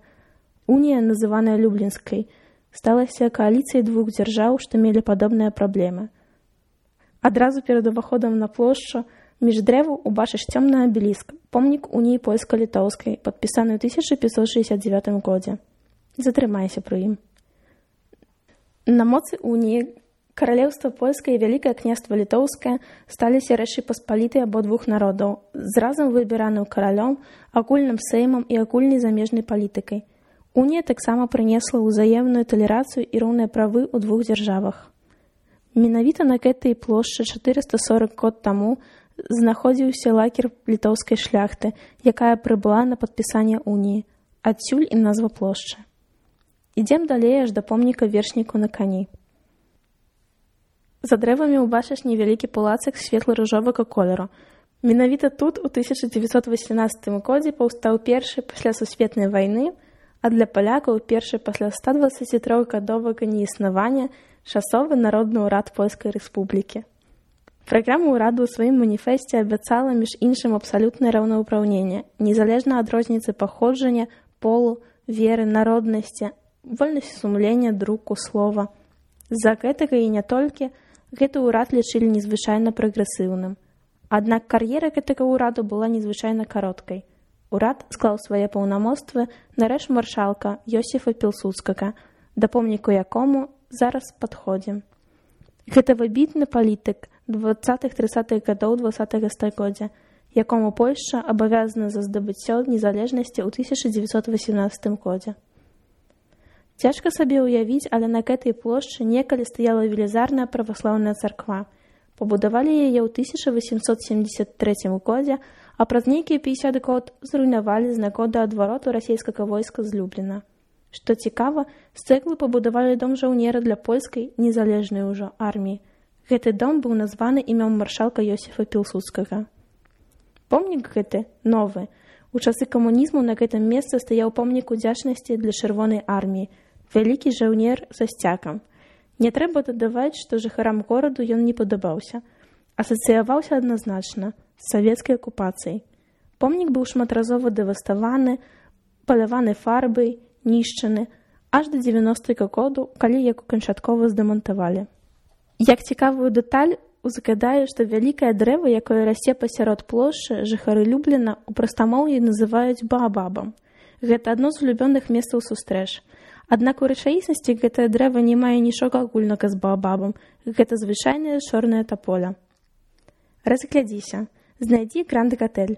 [SPEAKER 1] Унія, называная Люблінскай, сталася кааліцыяй двух дзяржаў, што мелі падобныя праблемы. Адразу перад уваходам на плошчу між дрэваў убачыш цёмны абеліск, помнік уніі польска-літоўскай, падпісаны ў 1569 годзе. Затрымайся пры ім. На моцы уніі Каралеўства польскае і Вялікае княства літоўскае сталіся рэчы паспалітай абодвух народаў, з разам выбіраным каралём, агульным сеймам і агульнай замежнай палітыкай. Унія таксама прынесла ўзаемную талерацыю і роўныя правы ў двух дзяржавах. Менавіта на гэтай плошчы 440 год таму знаходзіўся лагер літоўскай шляхты, якая прыбыла на падпісанне уніі. Адсюль і назва плошчы. Ідзем далей аж да помніка вершніку на кані. За дрэвамі ўбачыш невялікі палацак светла-ружовага колеру. Менавіта тут у 1918 годзе паўстаў першы пасля сусветнай вайны, а для палякаў першы пасля 123-гадовага неіснавання часовы народны ўрад Польскай Рэспублікі. Праграма ўраду ў сваім маніфесце абяцала між іншым абсалютнае раўнаўпраўненне, незалежна ад розніцы паходжання, полу, веры, народнасці, вольнасці сумлення, друку, слова. З-за гэтага і не толькі гэты ўрад лічылі незвычайна прагрэсіўным. Аднак кар'ера гэтага ўраду была незвычайна кароткай. Урад склаў свае паўнамоцтвы на рэч маршалка Йосіфа Пілсудскага, да помніку якому зараз падходзім. Гэта выбітны палітык 20-30-х гадоў 20-го стагоддзя, якому Польшча абавязана за здабыццё незалежнасці ў 1918 годзе. Цяжка сабе ўявіць, але на гэтай плошчы некалі стаяла велізарная праваслаўная царква. Пабудавалі яе ў 1873 годзе, а праз нейкія 50 год зруйнавалі з нагоды адвароту расійскага войска з Любліна. Што цікава, з цэглы пабудавалі дом жаўнера для польскай, незалежнай ужо арміі. Гэты дом быў названы імем маршалка Йосіфа Пілсудскага. Помнік гэты новы. У часы камунізму на гэтым месцы стаяў помнік удзячнасці для чырвонай арміі, вялікі жаўнер са сцягам. Не трэба дадаваць, што жыхарам гораду ён не падабаўся. Асацыяваўся адназначна з савецкай акупацыяй. Помнік быў шматразова дэваставаны, паляваны фарбай, нішчаны, аж да 90-го году, калі яго канчаткова здэмантавалі. Як цікавую дэталь, узгадаю, што вялікае дрэва, якое расце пасярод плошчы, жыхары Любліна ў прастамоўі называюць баабабам. Гэта адно з улюбёных месцаў сустрэч. Аднак у рэчаіснасці гэтае дрэва не мае нічога агульнага з баабабам. Гэта звычайная чорная таполя. Разглядзіся. Знайдзі Гранд-Гатэль.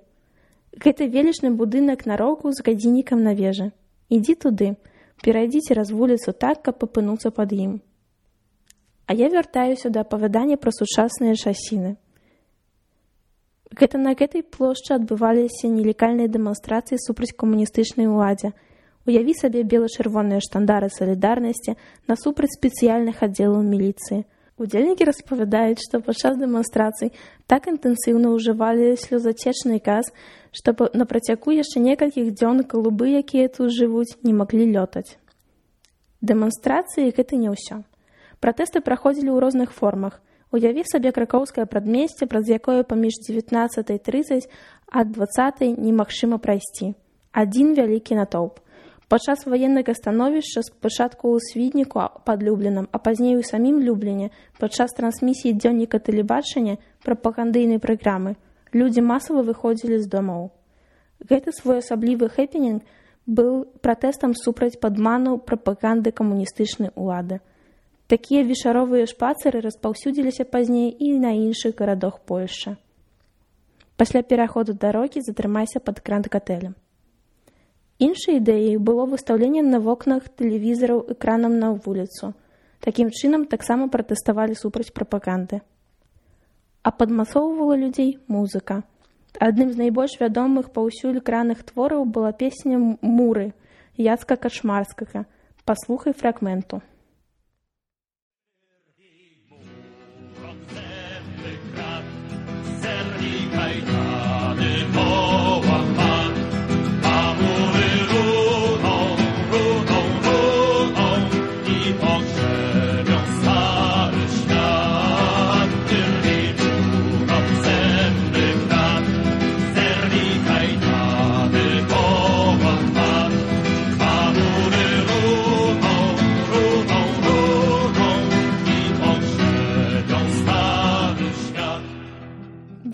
[SPEAKER 1] Гэта велічны будынак на роўку з гадзіннікам на вежы. Ідзі туды. Перайдзі цераз вуліцу так, каб апынуцца пад ім. А я вяртаюся да апавядання пра сучасныя часіны. Гэта на гэтай плошчы адбываліся нелегальныя дэманстрацыі супраць камуністычнай уладзе. Уяві сабе бела-чырвоныя штандары салідарнасці насупраць спецыяльных аддзелаў міліцыі. Удзельнікі распавядаюць, што падчас дэманстрацый так інтэнсіўна ўжывалі слёзацечны газ, што на працягу яшчэ некалькіх дзён галубы, якія тут жывуць, не маглі лётаць. Дэманстрацыі гэта не ўсё. Пратэсты праходзілі ў розных формах. Уяві сабе кракоўскае прадмесце, праз якое паміж 19:30 ад 20 немагчыма прайсці. Адзін вялікі натоўп. Падчас ваеннага становішча спачатку ў Свідніку пад Люблінам, а пазней у самім Любліне, падчас трансмісіі дзённіка тэлебачання прапагандыйнай праграмы, людзі масава выходзілі з домоў. Гэты своеасаблівы хэпенінг быў пратэстам супраць падману прапаганды камуністычнай улады. Такія вечаровыя шпацыры распаўсюдзіліся пазней і на іншых гарадах Польшчы. Пасля пераходу дарогі затрымайся пад Гранд-Гатэлем. Іншай ідэяй было выстаўленне на вокнах тэлевізараў экранам на вуліцу. Такім чынам таксама пратэставалі супраць прапаганды. А падмасоўвала людзей музыка. Адным з найбольш вядомых паўсюль экранных твораў была песня «Муры» Яцка Качмарскага. Паслухай фрагменту.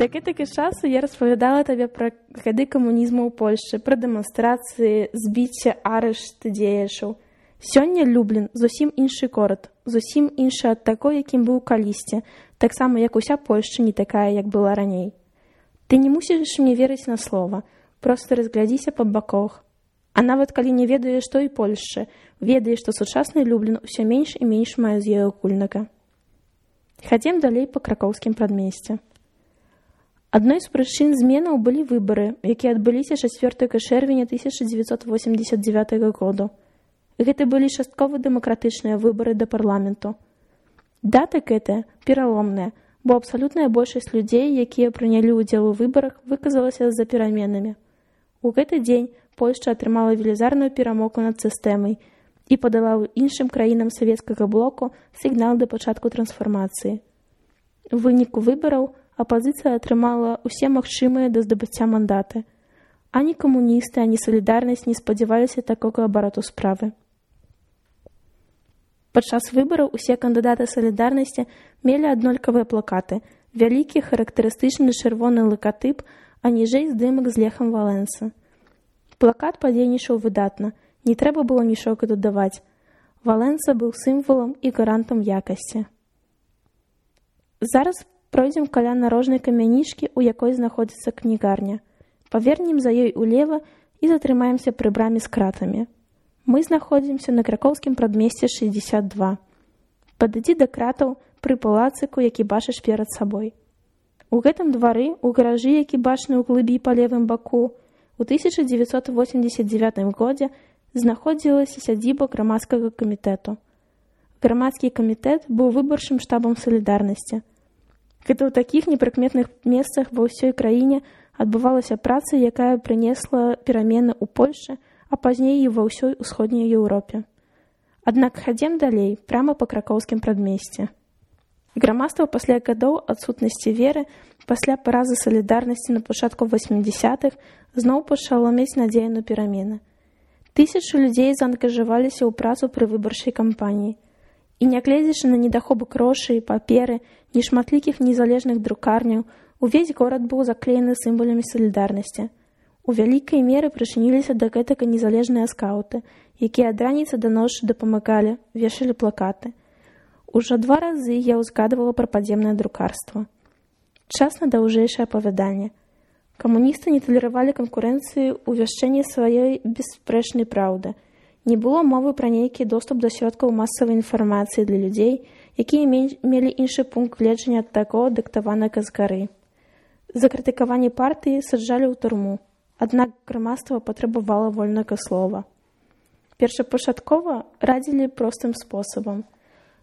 [SPEAKER 1] Да гэтага часу я распавядала табе пра гады камунізму ў Польшчы, пра дэманстрацыі, збіцце, арышты дзеячаў. Сёння Люблін зусім іншы горад, зусім іншы ад таго, якім быў калісьці, таксама як уся Польшча не такая, як была раней. Ты не мусіш мне верыць на слова, проста разглядзіся па баках. А нават калі не ведаеш той Польшчы, ведаеш, што сучасны Люблін усё менш і менш мае з ёй агульнага. Хадзем далей па кракоўскім прадмесці. Адной з прычын зменаў былі выбары, якія адбыліся 4 чэрвеня 1989 году. Гэта былі часткова дэмакратычныя выбары да парламенту. Дата гэтая пераломная, бо абсалютная большасць людзей, якія прынялі ўдзел у выбарах, выказалася за пераменамі. У гэты дзень Польшча атрымала велізарную перамогу над сістэмай і падала іншым краінам савецкага блоку сігнал да пачатку трансфармацыі. У выніку выбараў апазіцыя атрымала ўсе магчымыя да здабыцця мандаты. Ані камуністы, ані салідарнасць не спадзяваліся такога абароту справы. Падчас выбараў усе кандыдаты салідарнасці мелі аднолькавыя плакаты, вялікі характарыстычны чырвоны лакатып, а ніжэй здымак з Лехам Валенса. Плакат падзейнічаў выдатна, не трэба было нічога дадаваць. Валенса быў сімвалам і гарантам якасці. Зараз пройдзем каля нарожнай камянішкі, у якой знаходзіцца кнігарня. Павернем за ёй улева і затрымаемся пры браме з кратамі. Мы знаходзімся на кракоўскім прадмесці 62. Падыдзі да кратаў пры палацыку, які бачыш перад сабой. У гэтым двары, у гаражы, які бачны ў глыбі па левым баку, у 1989 годзе знаходзілася сядзіба грамадскага камітэту. Грамадскі камітэт быў выбарчым штабам салідарнасці. Гэта ў такіх непрыкметных месцах ва ўсёй краіне адбывалася праца, якая прынесла перамены ў Польшчы, а пазней і ва ўсёй усходняй Еўропе. Аднак хадзем далей, пряма па кракоўскім прадмесці. Грамадства пасля гадоў адсутнасці веры, пасля паразы салідарнасці на пачатку 80-х зноў пачало мець надзею на перамены. Тысячы людзей заангажаваліся ў працу пры выбарчай кампаніі. І нягледзячы на недахоп грошай, паперы, нешматлікіх незалежных друкарняў, увесь горад быў заклеены сімвалямі салідарнасці. У вялікай меры прычыніліся да гэтага незалежныя скаўты, якія ад раніцы да ночы дапамагалі, вешалі плакаты. Ужо 2 разы я ўзгадвала пра падземнае друкарства. Час на даўжэйшае апавяданне. Камуністы не талеравалі канкурэнцыі ў вяшчэнні сваёй бесспрэчнай праўды. Не было мовы пра нейкі доступ да сродкаў масавай інфармацыі для людзей, якія мелі іншы пункт гледжання ад таго, дыктаванага з гары. За крытыкаванне партыі саджалі ў турму. Аднак грамадства патрабавала вольнага слова. Першапачаткова радзілі простым спосабам.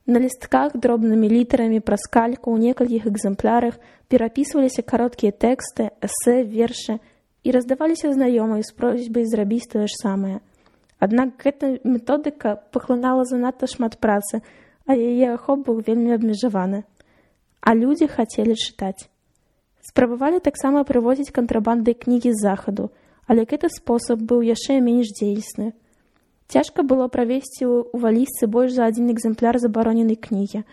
[SPEAKER 1] На лістках дробнымі літарамі праз кальку ў некалькіх экземплярах перапісваліся кароткія тэксты, эсэ, вершы і раздаваліся знаёмай з просьбай зрабіць тое ж самае. Аднак гэта методыка паглынала занадта шмат працы, а яе ахоп быў вельмі абмежаваны. А людзі хацелі чытаць. Спрабавалі таксама прывозіць кантрабандай кнігі з захаду, але гэты спосаб быў яшчэ менш дзейсны. Цяжка было правесці ў валізцы больш за 1 экземпляр забароненай кнігі.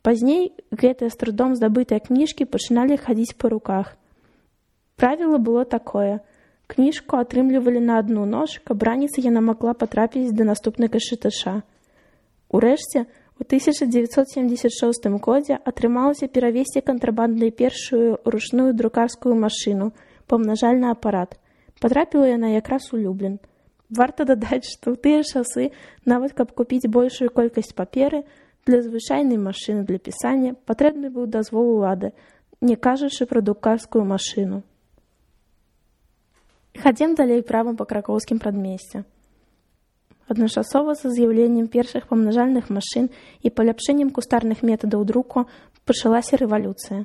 [SPEAKER 1] Пазней гэтыя з трудом здабытыя кніжкі пачыналі хадзіць па руках. Правіла было такое. Кніжку атрымлівалі на адну ноч, каб раніцай яна магла патрапіць да наступнага чытача. Урэшце, у 1976 годзе атрымалася перавесці кантрабандай першую ручную друкарскую машыну, памнажальны апарат. Патрапіла яна якраз у Люблін. Варта дадаць, што ў тыя часы, нават каб купіць большую колькасць паперы, для звычайнай машыны для пісання патрэбны быў дазвол улады, не кажучы пра друкарскую машыну. Хадзем далей правам па кракоўскім прадмесці. Адначасова са з'яўленнем першых памнажальных машын і паляпшэннем кустарных метадаў друку пачалася рэвалюцыя.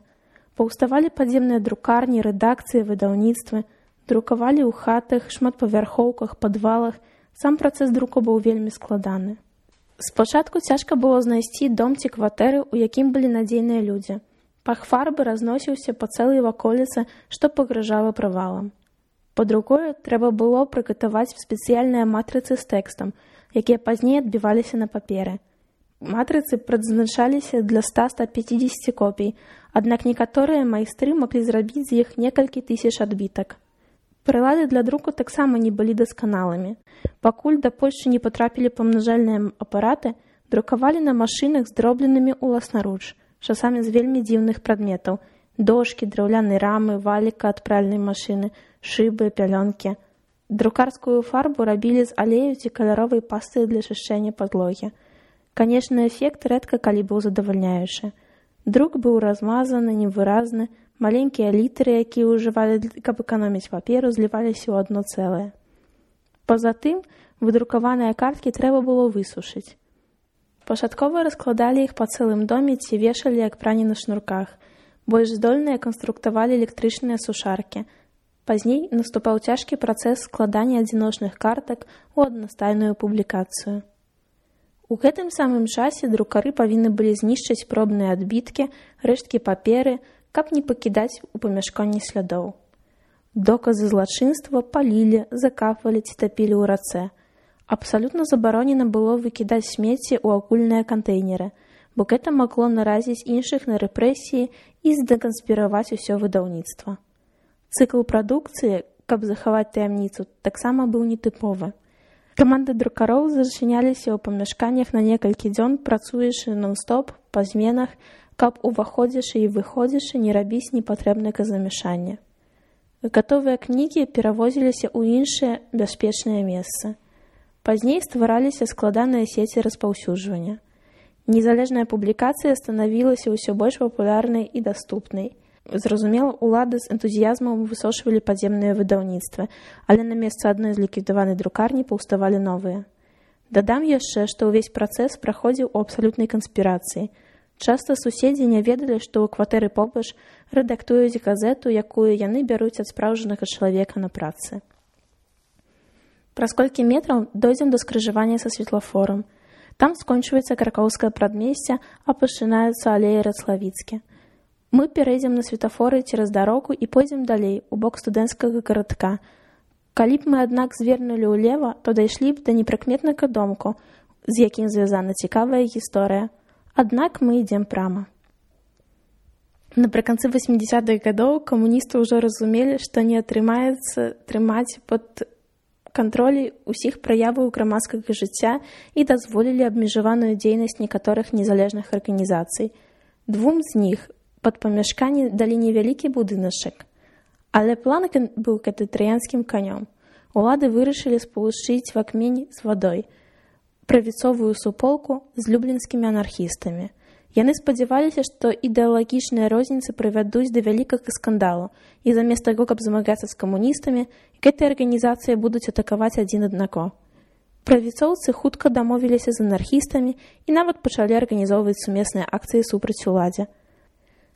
[SPEAKER 1] Паўставалі падземныя друкарні, рэдакцыі, выдаўніцтвы, друкавалі ў хатах, шматпавярхоўках, падвалах. Сам працэс друку быў вельмі складаны. Спачатку цяжка было знайсці дом ці кватэры, у якім былі надзейныя людзі. Пах фарбы разносіўся па цэлай ваколіцы, што пагражала правалам. Па-другое, трэба было прыгатаваць спецыяльныя матрыцы з тэкстам, якія пазней адбіваліся на паперы. Матрыцы прадзначаліся для 100-150 копій, аднак некаторыя майстры маглі зрабіць з іх некалькі тысяч адбітак. Прылады для друку таксама не былі дасканалымі. Пакуль да Польшчы не патрапілі памнажальныя апараты, друкавалі на машынах, зробленымі ўласнаруч, часамі з вельмі дзіўных прадметаў: дошкі, драўляныя рамы, валіка ад пральнай машыны, шыбы, пялёнкі. Друкарскую фарбу рабілі з алею ці каляровай пасты для чышчэння падлогі. Канечны эфект рэдка калі быў задавальняючы. Друк быў размазаны, невыразны, маленькія літары, якія ўжывалі, каб эканоміць паперу, зліваліся ў адно цэлае. Па-за тым, выдрукаваныя карткі трэба было высушыць. Пачаткова раскладалі іх па цэлым доме ці вешалі, як прані на шнурках. Больш здольныя канструктавалі электрычныя сушаркі. Пазней наступаў цяжкі працэс складання адзіночных картак у аднастайную публікацыю. У гэтым самым часе друкары павінны былі знішчыць пробныя адбіткі, рэшткі паперы, каб не пакідаць у памяшканні слядоў. Доказы злачынства палілі, закапвалі ці тапілі ў рацэ. Абсалютна забаронена было выкідаць смецце ў агульныя кантэйнеры, бо гэта магло наразіць іншых на рэпрэсіі і здэканспіраваць усё выдаўніцтва. Цыкл прадукцыі, каб захаваць таямніцу, таксама быў нетыповы. Каманды друкароў зачыняліся ў памяшканнях на некалькі дзён, працуючы нон-стоп, па зменах, каб уваходзячы і выходзячы не рабіць непатрэбнага замяшання. Гатовыя кнігі перавозіліся ў іншыя бяспечныя месцы. Пазней ствараліся складаныя сеці распаўсюджвання. Незалежная публікацыя станавілася ўсё больш папулярнай і даступнай. Зразумела, улады з энтузіязмам высочвалі падземныя выдаўніцтвы, але на месца адной з ліквідаванай друкарні паўставалі новыя. Дадам яшчэ, што ўвесь працэс праходзіў у абсалютнай канспірацыі. Часта суседзі не ведалі, што ў кватэры побач рэдактуюць газету, якую яны бяруць ад спраўжанага чалавека на працы. Праз колькі метраў дойдзем да скрыжавання са светлафорам. Там скончваецца кракоўскае прадмесце, а пачынаюцца алеі Рацлавіцкі. Мы перайдзем на светафоры цераз дарогу і пойдзем далей, у бок студэнцкага гарадка. Калі б мы, аднак, звернулі ўлева, то дайшлі б да непрыкметнага домку, з якім звязана цікавая гісторыя. Аднак мы ідзем прама. Напрыканцы 80-х гадоў камуністы ўжо разумелі, што не атрымаецца трымаць пад кантролі ўсіх праяваў грамадскага жыцця і дазволілі абмежаваную дзейнасць некаторых незалежных арганізацый. Двум з іх пад памяшканне далі невялікі будыначак. Але план быў катэтарыянскім канём. Улады вырашылі спалучыць вакмень з вадой, правіцовую суполку з люблінскімі анархістамі. Яны спадзяваліся, што ідэалагічныя розніцы прывядуць да вялікага скандалу, і замест таго, каб змагацца з камуністамі, гэтыя арганізацыі будуць атакаваць адзін аднаго. Правіцоўцы хутка дамовіліся з анархістамі і нават пачалі арганізоўваць сумесныя акцыі супраць уладзе.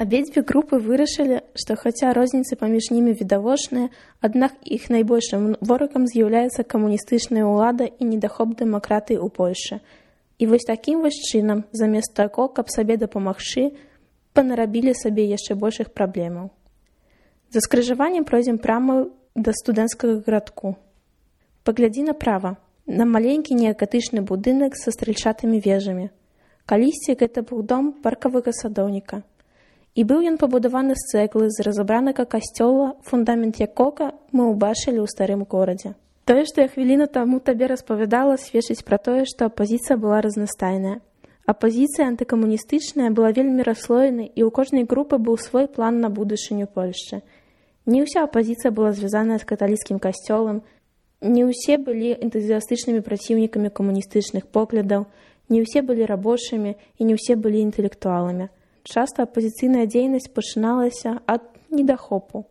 [SPEAKER 1] Абедзве групы вырашылі, што хаця розніцы паміж імі відавочныя, аднак іх найбольшым ворагам з'яўляецца камуністычная ўлада і недахоп дэмакратыі ў Польшчы. І вось такім вось чынам, замест таго, каб сабе дапамагчы, панарабілі сабе яшчэ большых праблемаў. За скрыжаваннем пройдзем прама да студэнцкага гарадку. Паглядзі направа, на маленькі неагатычны будынак са стральчатымі вежамі. Калісьці гэта быў дом паркавага садоўніка. І быў ён пабудаваны з цэглы з разабранага касцёла, фундамент якога мы ўбачылі ў старым горадзе. Тое, што я хвіліну таму табе распавядала, сведчыць пра тое, што апазіцыя была разнастайная. Апазіцыя антыкамуністычная была вельмі расслоенай, і ў кожнай групы быў свой план на будучыню Польшчы. Не ўся апазіцыя была звязаная з каталіцкім касцёлам, не ўсе былі энтузіастычнымі праціўнікамі камуністычных поглядаў, не ўсе былі рабочымі і не ўсе былі інтэлектуаламі. Часта апазіцыйная дзейнасць пачыналася ад недахопу.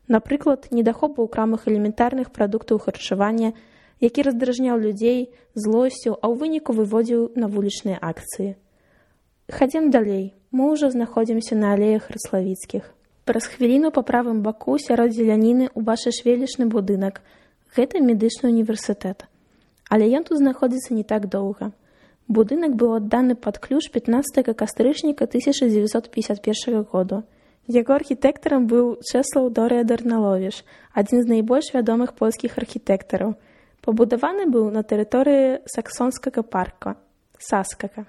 [SPEAKER 1] Напрыклад, недахопу ў крамах элементарных прадуктаў харчавання, які раздражняў людзей злосцю, а ў выніку выводзіў на вулічныя акцыі. Хадзем далей. Мы ўжо знаходзімся на алеях Рацлавіцкіх. Праз хвіліну па правым баку сярод зеляніны ўбачыш велічны будынак. Гэта медычны універсітэт. Але ён тут знаходзіцца не так доўга. Будынак быў адданы пад ключ 15 кастрычніка 1951 году. Яго архітэктарам быў Чэслаў Дорыя Дарналовіч, адзін з найбольш вядомых польскіх архітэктараў. Пабудаваны быў на тэрыторыі саксонскага парка, Саскага.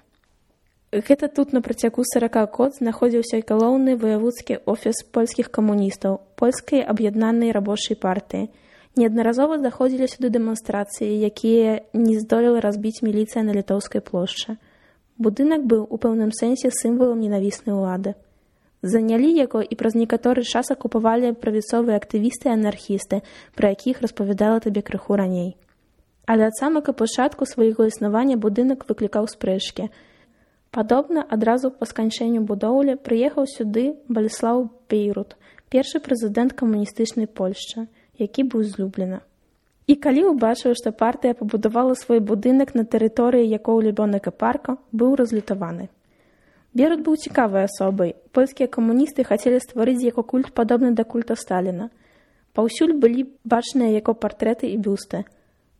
[SPEAKER 1] Гэта тут на працягу 40 год знаходзіўся галоўны ваяводскі офіс польскіх камуністаў, польскай аб'яднанай рабочай партыі. Неаднаразова заходзілі сюды дэманстрацыі, якія не здолела разбіць міліцыя на Літоўскай плошчы. Будынак быў у пэўным сэнсе сімвалам ненавіснай улады. Занялі яго і праз некаторы час акупавалі правіцовыя актывісты і анархісты, пра якіх распавядала табе крыху раней. Але ад самага пачатку свайго існавання будынак выклікаў спрэчкі. Падобна, адразу па сканчэнню будоўлі прыехаў сюды Балеслаў Бейрут, першы прэзідэнт камуністычнай Польшчы, які быў з Любліна. І калі ўбачыў, што партыя пабудавала свой будынак на тэрыторыі якого любёнага парка, быў разлютаваны. Бейрут быў цікавай асобай. Польскія камуністы хацелі стварыць яго культ падобны да культа Сталіна. Паўсюль былі бачныя яго партрэты і бюсты.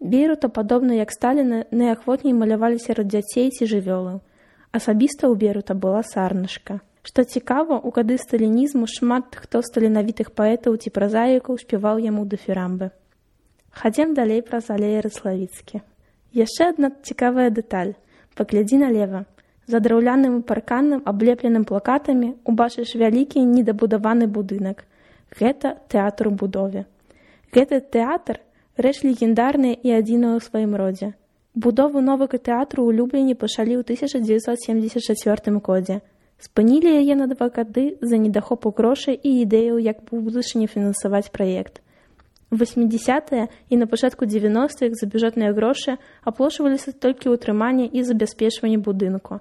[SPEAKER 1] Бейрута, падобна як Сталіна, найахвотней малявалі сярод дзяцей ці жывёлаў. Асабіста ў Бейрута была сарнышка. Што цікава, у гады сталінізму шмат хто з таленавітых паэтаў ці празаікаў спяваў яму дыфірамбы. Хадзем далей праз алеі Рыславіцкі. Яшчэ адна цікавая дэталь. Паглядзі налева. За драўляным парканам, аблепленым плакатамі, убачыш вялікі недабудаваны будынак. Гэта тэатр у будове. Гэты тэатр – рэч легендарная і адзіная ў сваім родзе. Будову новага тэатру ў Любліні пачалі ў 1974 годзе. Спынілі яе на 2 гады за недахопу грошай і ідэяў, як у будучыні фінансаваць праект. У 80-е і на пачатку 90-х за бюджэтныя грошы аплошваліся толькі ўтрыманне і забяспечванне будынку.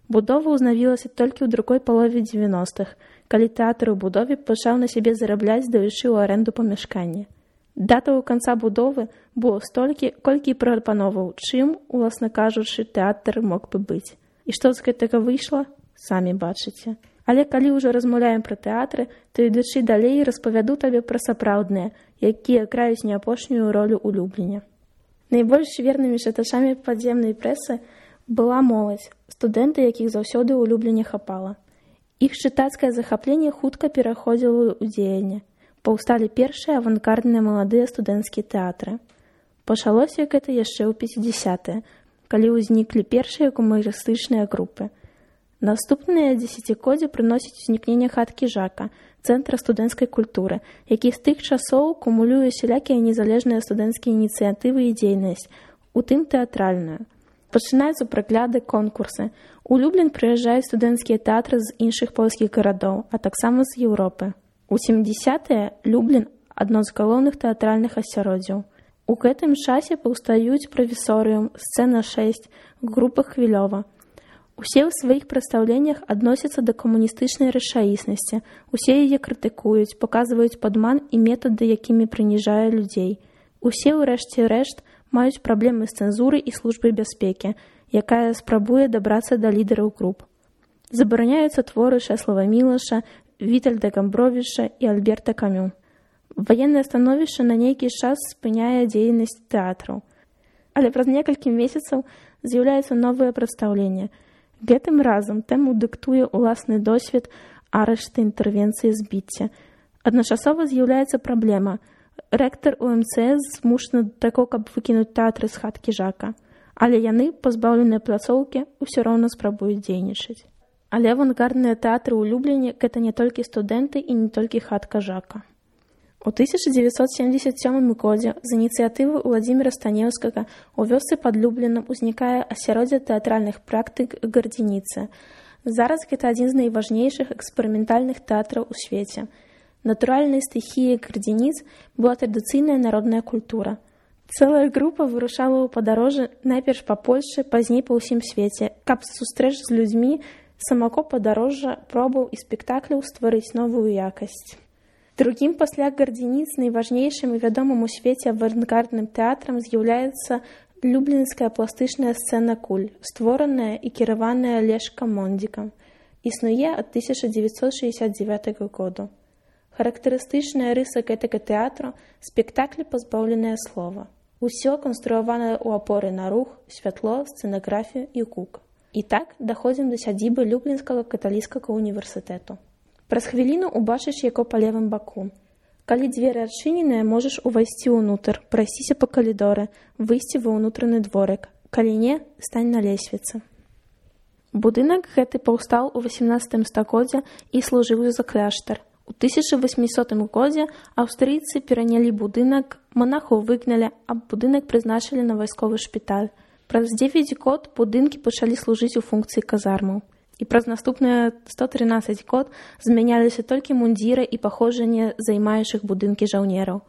[SPEAKER 1] Будова ўзнавілася толькі ў другой палове 90-х, калі тэатр у будове пачаў на сябе зарабляць, даючы ў арэнду памяшкання. Датаў канца будовы было столькі, колькі і прапановаў, чым, уласна кажучы, тэатр мог бы быць. І што з гэтага выйшла? Самі бачыце. Але калі ўжо размаўляем пра тэатры, то ідучы далей распавяду табе пра сапраўдныя, якія граюць не апошнюю ролю ў Любліне. Найбольш вернымі чытачамі падземнай прэсы была моладзь, студэнты, якіх заўсёды ў Любліне хапала. Іх чытацкае захапленне хутка пераходзіла ў дзеянне. Паўсталі першыя авангардныя маладыя студэнцкія тэатры. Пачалося гэта яшчэ ў 50-е, калі ўзніклі першыя гумарыстычныя групы. Наступныя дзесяцігоддзі прыносіць узнікненне хаткі Жака, цэнтра студэнцкай культуры, які з тых часоў кумулюе сялякія незалежныя студэнцкія ініцыятывы і дзейнасць, у тым тэатральную. Пачынаюцца прагляды, конкурсы. У Люблін прыязджаюць студэнцкія тэатры з іншых польскіх гарадоў, а таксама з Еўропы. У 70-е Люблін – адно з галоўных тэатральных асяроддзяў. У гэтым часе паўстаюць правісорыум, сцэна 6, група Хвілёва. Усе ў сваіх прадстаўленнях адносяцца да камуністычнай рэчаіснасці, усе яе крытыкуюць, паказваюць падман і метады, якімі прыніжае людзей. Усе, урэшце рэшт, маюць праблемы з цэнзурай і службай бяспекі, якая спрабуе дабрацца да лідараў груп. Забараняюцца творы Чэслава Мілаша, Вітальда Гамбровіча і Альберта Камю. Ваеннае становішча на нейкі час спыняе дзейнасць тэатраў. Але праз некалькі месяцаў з'яўляецца новае прадстаўленне. Гэтым разам тэму дыктуе ўласны досвед арышты, інтэрвенцыі, збіцця. Адначасова з'яўляецца праблема. Рэктар УМЦС змушаны да таго, каб выкінуць тэатры з хаткі Жака. Але яны, пазбаўленыя пляцоўкі, усё роўна спрабуюць дзейнічаць. Але авангардныя тэатры ў Любліне – гэта не толькі студэнты і не толькі хатка Жака. У 1977 годзе з ініцыятывы Уладзіміра Станеўскага у вёсцы пад Люблінам узнікае асяроддзе тэатральных практык Гардзініцы. Зараз гэта адзін з найважнейшых эксперыментальных тэатраў у свеце. Натуральнай стыхіяй Гардзініц была традыцыйная народная культура. Цэлая група вырушала ў падарожжы найперш па Польшчы, пазней па ўсім свеце, каб сустрэч з людзьмі самаго падарожжа, пробаў і спектакляў стварыць новую якасць. Другім пасля Гардзініц найважнейшым і вядомым у свеце авангардным тэатрам з'яўляецца люблінская пластычная сцэна «Куль», створаная і кіраваная Лешкам Мондзікам. Існуе ад 1969 году. Характарыстычная рыса гэтага тэатру – спектаклі, пазбаўленыя слова. Усё канструяванае ў апоры на рух, святло, сцэнаграфію і гук. І так даходзім да сядзібы Люблінскага каталіцкага універсітэту. Праз хвіліну убачыш яго па левым баку. Калі дзверы адчыненыя, можаш увайсці ўнутр, прайсціся па калідоры, выйсці ва ўнутраны дворык. Калі не, стань на лесвіцы. Будынак гэты паўстаў у 18 стагоддзя і служыў за кляштар. У 1800 годзе аўстрыйцы перанялі будынак, монахаў выгналі, а будынак прызначылі на вайсковы шпіталь. Праз 9 год будынкі пачалі служыць у функцыі казармаў. І праз наступныя 113 год змяняліся толькі мундзіры і паходжанне займаючых будынкі жаўнераў.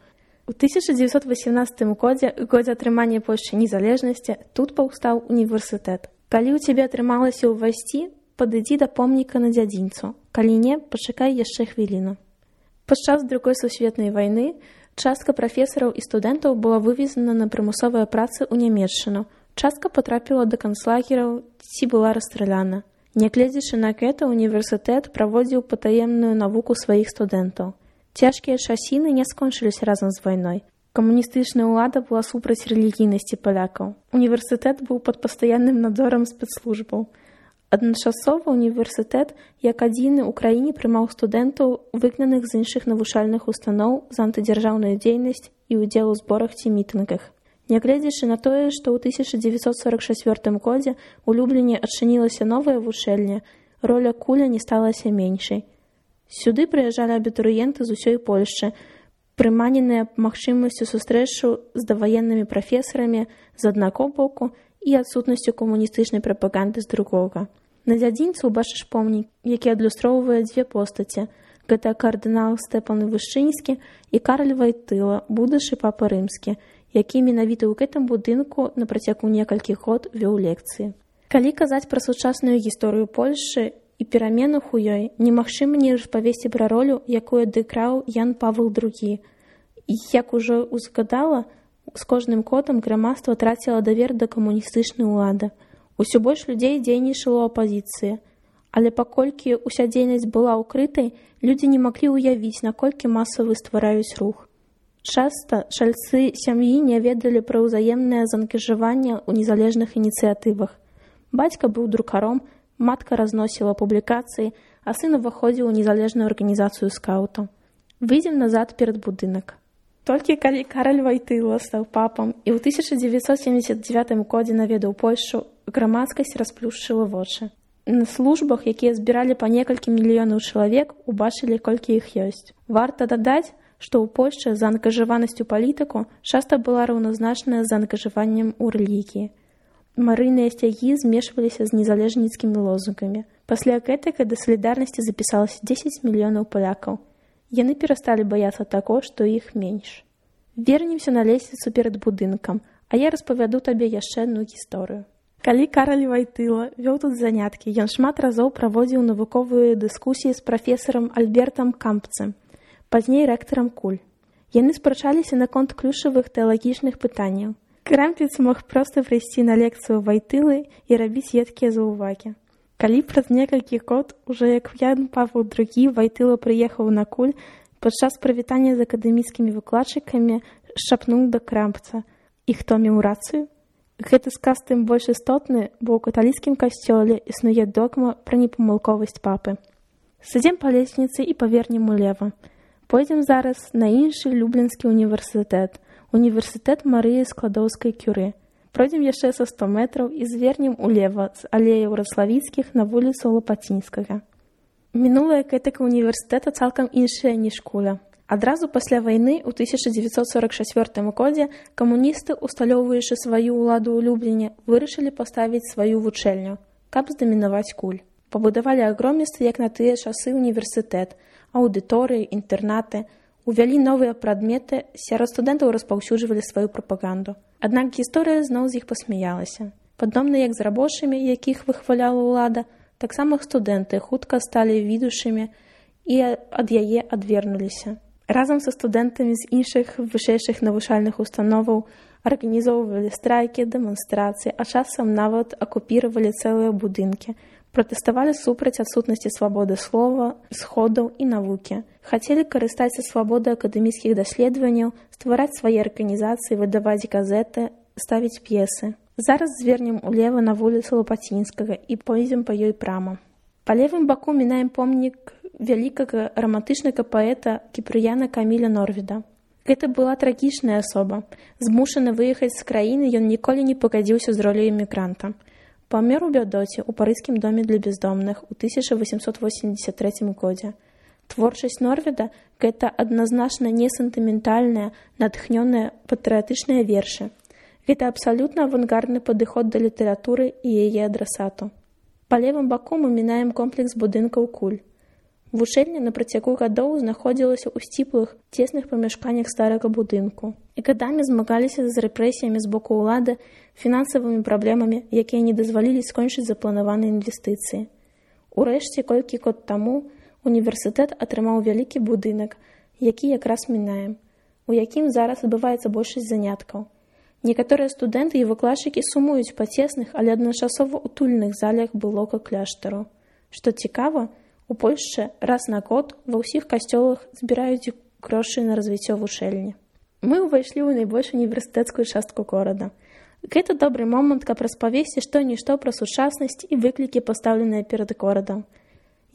[SPEAKER 1] У 1918 годзе, годзе атрымання Польшчы незалежнасці, тут паўстаў універсітэт. Калі ў цябе атрымалася ўвайсці, падыдзі да помніка на дзядзінцу. Калі не, пачакай яшчэ хвіліну. Падчас Другой сусветнай вайны частка прафесараў і студэнтаў была вывезена на прымусовыя працы ў Нямецчыну. Частка патрапіла да канцлагераў ці была расстраляна. Нягледзячы на гэта, універсітэт праводзіў патаемную навуку сваіх студэнтаў. Цяжкія часіны не скончыліся разам з вайной. Камуністычная ўлада была супраць рэлігійнасці палякаў. Універсітэт быў пад пастаянным надзорам спецслужбаў. Адначасова універсітэт, як адзіны ў краіне, прымаў студэнтаў, выгнаных з іншых навучальных устаноў за антыдзяржаўную дзейнасць і ўдзел у зборах ці мітынгах. Нягледзячы на тое, што ў 1944 годзе у Любліне адчынілася новая вучэльня, роля куля не сталася меншай. Сюды прыязджалі абітурыенты з усёй Польшчы, прыманеныя магчымасцю сустрэчу з даваеннымі прафесарамі з аднаго боку і адсутнасцю камуністычнай прапаганды з другога. На дзядзінцу убачыш помнік, які адлюстроўвае дзве постаці. Гэта кардынал Стэпан Вышчынскі і Караль Вайтыла, будучы папа рымскі, які менавіта ў гэтым будынку на працягу некалькіх год вёў лекцыі. Калі казаць пра сучасную гісторыю Польшчы і пераменах у ёй, немагчыма не распавесці пра ролю, якую адыграў Ян Павел II. І, як ужо узгадала, з кожным годам грамадства траціла давер да камуністычнай улады. Усё больш людзей дзейнічала ў апазіцыі. Але паколькі ўся дзейнасць была ўкрытай, людзі не маглі ўявіць, наколькі масавы ствараюць рух. Часта чальцы сям'і не ведалі пра ўзаемнае заангажаванне ў незалежных ініцыятывах. Бацька быў друкаром, матка разносіла публікацыі, а сын уваходзіў у незалежную арганізацыю скаутаў. Выйдзем назад перад будынак. Толькі калі Караль Вайтыла стаў папам і ў 1979 годзе наведаў Польшчу, грамадскасць расплюшчыла вочы. На службах, якія збіралі па некалькі мільёнаў чалавек, убачылі, колькі іх ёсць. Варта дадаць, што ў Польшчы заангажаванасць у палітыку часта была раўназначная з заангажаваннем у рэлігіі. Марыйныя сцягі змешваліся з незалежніцкімі лозунгамі. Пасля гэтага да салідарнасці запісалася 10 мільёнаў палякаў. Яны перасталі баяцца таго, што іх менш. Вернемся на лесвіцу перад будынкам, а я распавяду табе яшчэ адну гісторыю. Калі Караль Вайтыла вёў тут заняткі, ён шмат разоў праводзіў навуковыя дыскусіі з прафесарам Альбертам Кампцем, пазней рэктарам куль. Яны спрачаліся наконт ключавых тэалагічных пытанняў. Крампец мог проста прыйсці на лекцыю Вайтылы і рабіць едкія заўвагі. Калі праз некалькі год, ужо як Ян Павел II, Вайтыла прыехаў на куль, падчас прывітання з акадэміцкімі выкладчыкамі шапнуў да Крампца. І хто меў рацыю? Гэты сказ тым больш істотны, бо ў каталіцкім касцёле існуе догма пра непамылковасць папы. Сыдзем па лесніцы і павернем улева. Пойдзем зараз на іншы Люблінскі універсітэт, універсітэт Марыі Складоўскай-Кюры. Пройдзем яшчэ са 100 метраў і звернем улева з алеяў Раславіцкіх на вуліцу Лапацінскага. Мінулая гэтага універсітэта цалкам іншая, ніж куля. Адразу пасля вайны ў 1944 годзе камуністы, усталёўваючы сваю ўладу ў Любліне, вырашылі паставіць сваю вучэльню, каб здамінаваць куль. Пабудавалі агромісты, як на тыя часы, універсітэт, аўдыторыі, інтэрнаты, увялі новыя прадметы, сярод студэнтаў распаўсюджвалі сваю прапаганду. Аднак гісторыя зноў з іх пасмяялася. Падобна як з рабочымі, якіх выхваляла ўлада, таксама студэнты хутка сталі відушымі і ад яе адвернуліся. Разам са студэнтамі з іншых вышэйшых навучальных установаў арганізоўвалі страйкі, дэманстрацыі, а часам нават акупіравалі цэлыя будынкі. Пратэставалі супраць адсутнасці свабоды слова, сходаў і навукі. Хацелі карыстацца свабодай акадэміцкіх даследаванняў, ствараць свае арганізацыі, выдаваць газеты, ставіць п'есы. Зараз звернем улева на вуліцу Лапацінскага і пойдзем па ёй прама. Па левым баку мінаем помнік вялікага рамантычнага паэта Кіпрыяна Каміля Норвіда. Гэта была трагічная асоба. Змушаны выехаць з краіны, ён ніколі не пагадзіўся з роляй эмігранта. Памёр у бядоце ў парыжскім доме для бездомных у 1883 годзе. Творчасць Норведа – гэта адназначна не сентыментальныя, натхнёныя патрыятычныя вершы. Гэта абсалютна авангардны падыход да літаратуры і яе адрасату. Па левым баку мы мінаем комплекс будынкаў куль. Вучэльня на працягу гадоў знаходзілася ў сціплых, цесных памяшканнях старага будынку і гадамі змагаліся з рэпрэсіямі з боку ўлады, фінансавымі праблемамі, якія не дазвалілі скончыць запланаваныя інвестыцыі. Урэшце, колькі год таму, універсітэт атрымаў вялікі будынак, які якраз мінаем, у якім зараз адбываецца большасць заняткаў. Некаторыя студэнты і выкладчыкі сумуюць па цесных, але адначасова утульных залях былога кляштару. Што цікава, у Польшчы раз на год ва ўсіх касцёлах збіраюць грошы на развіццё вучэльні. Мы ўвайшлі ў найбольш універсітэцкую частку горада. Гэта добры момант, каб распавесці што-нішто пра сучаснасць і выклікі, пастаўленыя перад горадам.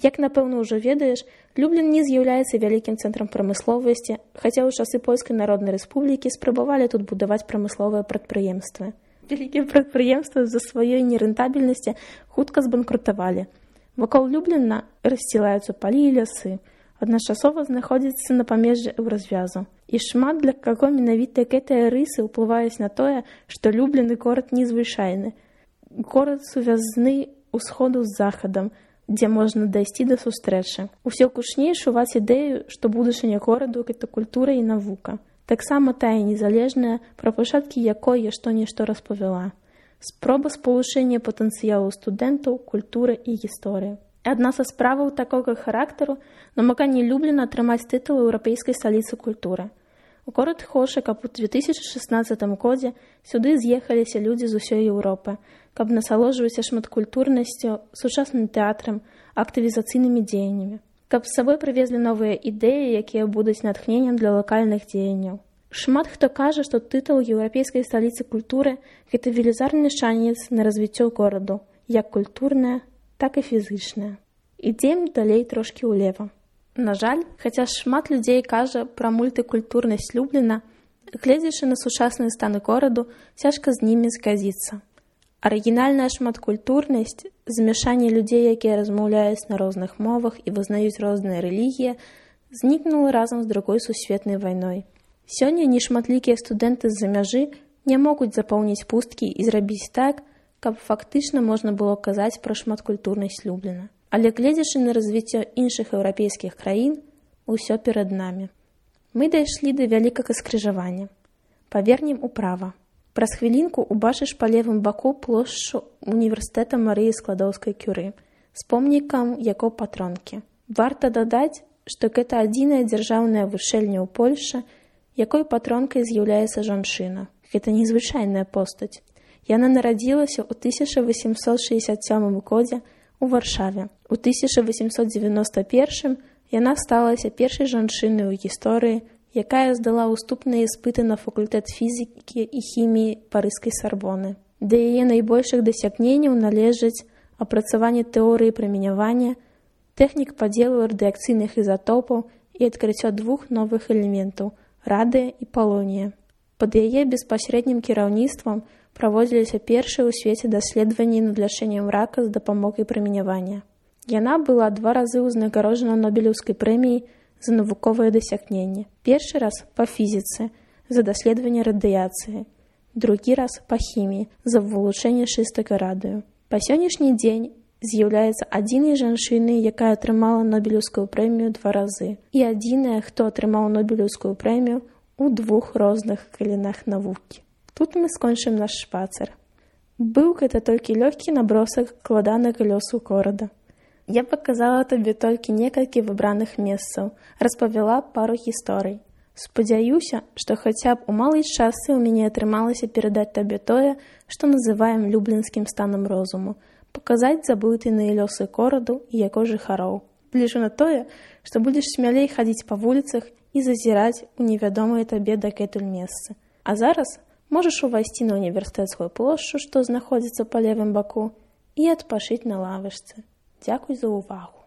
[SPEAKER 1] Як, напэўна, ўжо ведаеш, Люблін не з'яўляецца вялікім цэнтрам прамысловасці, хаця ў часы Польскай Народнай Рэспублікі спрабавалі тут будаваць прамысловыя прадпрыемствы. Вялікія прадпрыемствы з-за сваёй нерэнтабельнасці хутка збанкрутавалі. Вакол Любліна рассцілаюцца палі і лясы, адначасова знаходзіцца на памежжы развязу. І шмат для каго менавіта гэтыя рысы ўплываюць на тое, што Люблін горад незвычайны. Горад сувязны ўсходу з захадам, дзе можна дайсці да сустрэчы. Усё кучней шуваць ідэю, што будучыня гораду – гэта культура і навука. Таксама тая незалежная, пра пачаткі якой я што-нішто распавяла. Спроба спалучэння патэнцыялу студэнтаў, культуры і гісторыі. Адна са справаў такога характару – намаганне Любліна атрымаць тытул еўрапейскай сталіцы культуры. У горад хоча, каб у 2016 годзе сюды з'ехаліся людзі з усёй Еўропы, каб насалоджвацца шматкультурнасцю, сучасным тэатрам, актывізацыйнымі дзеяннямі. Каб з сабой прывезлі новыя ідэі, якія будуць натхненнем для лакальных дзеянняў. Шмат хто кажа, што тытул еўрапейскай сталіцы культуры – гэта велізарны шанец на развіццё гораду, як культурнае, так і фізычнае. Ідзем далей трошкі ўлева. На жаль, хаця шмат людзей кажа пра мультыкультурнасць Любліна, гледзячы на сучасныя станы гораду, цяжка з імі згадзіцца. Арыгінальная шматкультурнасць, змяшанне людзей, якія размаўляюць на розных мовах і вызнаюць розныя рэлігіі, знікнула разам з другой сусветнай вайной. Сёння нешматлікія студэнты з-за мяжы не могуць запоўніць пусткі і зрабіць так, каб фактычна можна было казаць пра шматкультурнасць Любліна. Але гледзячы на развіццё іншых еўрапейскіх краін, усё перад намі. Мы дайшлі да вялікага скрыжавання. Павернем управа. Праз хвілінку убачыш па левым баку плошчу універсітэта Марыі Складоўскай-Кюры з помнікам яго патронкі. Варта дадаць, што гэта адзіная дзяржаўная вучэльня ў Польшчы, якой патронкай з'яўляецца жанчына. Гэта незвычайная постаць. Яна нарадзілася ў 1867 годзе у Варшаве. У 1891 яна сталася першай жанчынай у гісторыі, якая здала ўступныя іспыты на факультэт фізікі і хіміі Парыжскай Сарбоны. Да яе найбольшых дасягненняў належаць апрацаванне тэорыі прымянявання, тэхнік падзелу радыякцыйных ізатопаў і адкрыццё двух новых элементаў – радыя і палонія. Пад яе беспасрэднім кіраўніцтвам праводзіліся першыя ў свеце даследаванні над лячэннем рака з дапамогай прымянявання. Яна была 2 разы ўзнагароджана Нобелеўскай прэміяй за навуковыя дасягненні. Першы раз па фізіцы за даследаванне радыяцыі, другі раз па хіміі за вылучэнне чыстага радыю. Па сённяшні дзень з'яўляецца адзінай жанчынай, якая атрымала Нобелеўскую прэмію 2 разы, і адзіная, хто атрымаў Нобелеўскую прэмію ў 2 розных галінах навукі. Тут мы скончым наш шпацыр. Быў гэта толькі лёгкі набросак складанага лёсу горада. Я паказала табе толькі некалькі выбраных месцаў, распавяла пару гісторый. Спадзяюся, што хаця б у малай частцы ў мяне атрымалася перадаць табе тое, што называем люблінскім станам розуму, паказаць забытыя лёсы гораду і яго жыхароў. Лічу на тое, што будзеш смялей хадзіць па вуліцах і зазіраць у невядомыя табе дагэтуль месцы. А зараз можаш увайсці на універсітэцкую плошчу, што знаходзіцца па левым баку, і адпачыць на лавачцы. Дзякуй за ўвагу.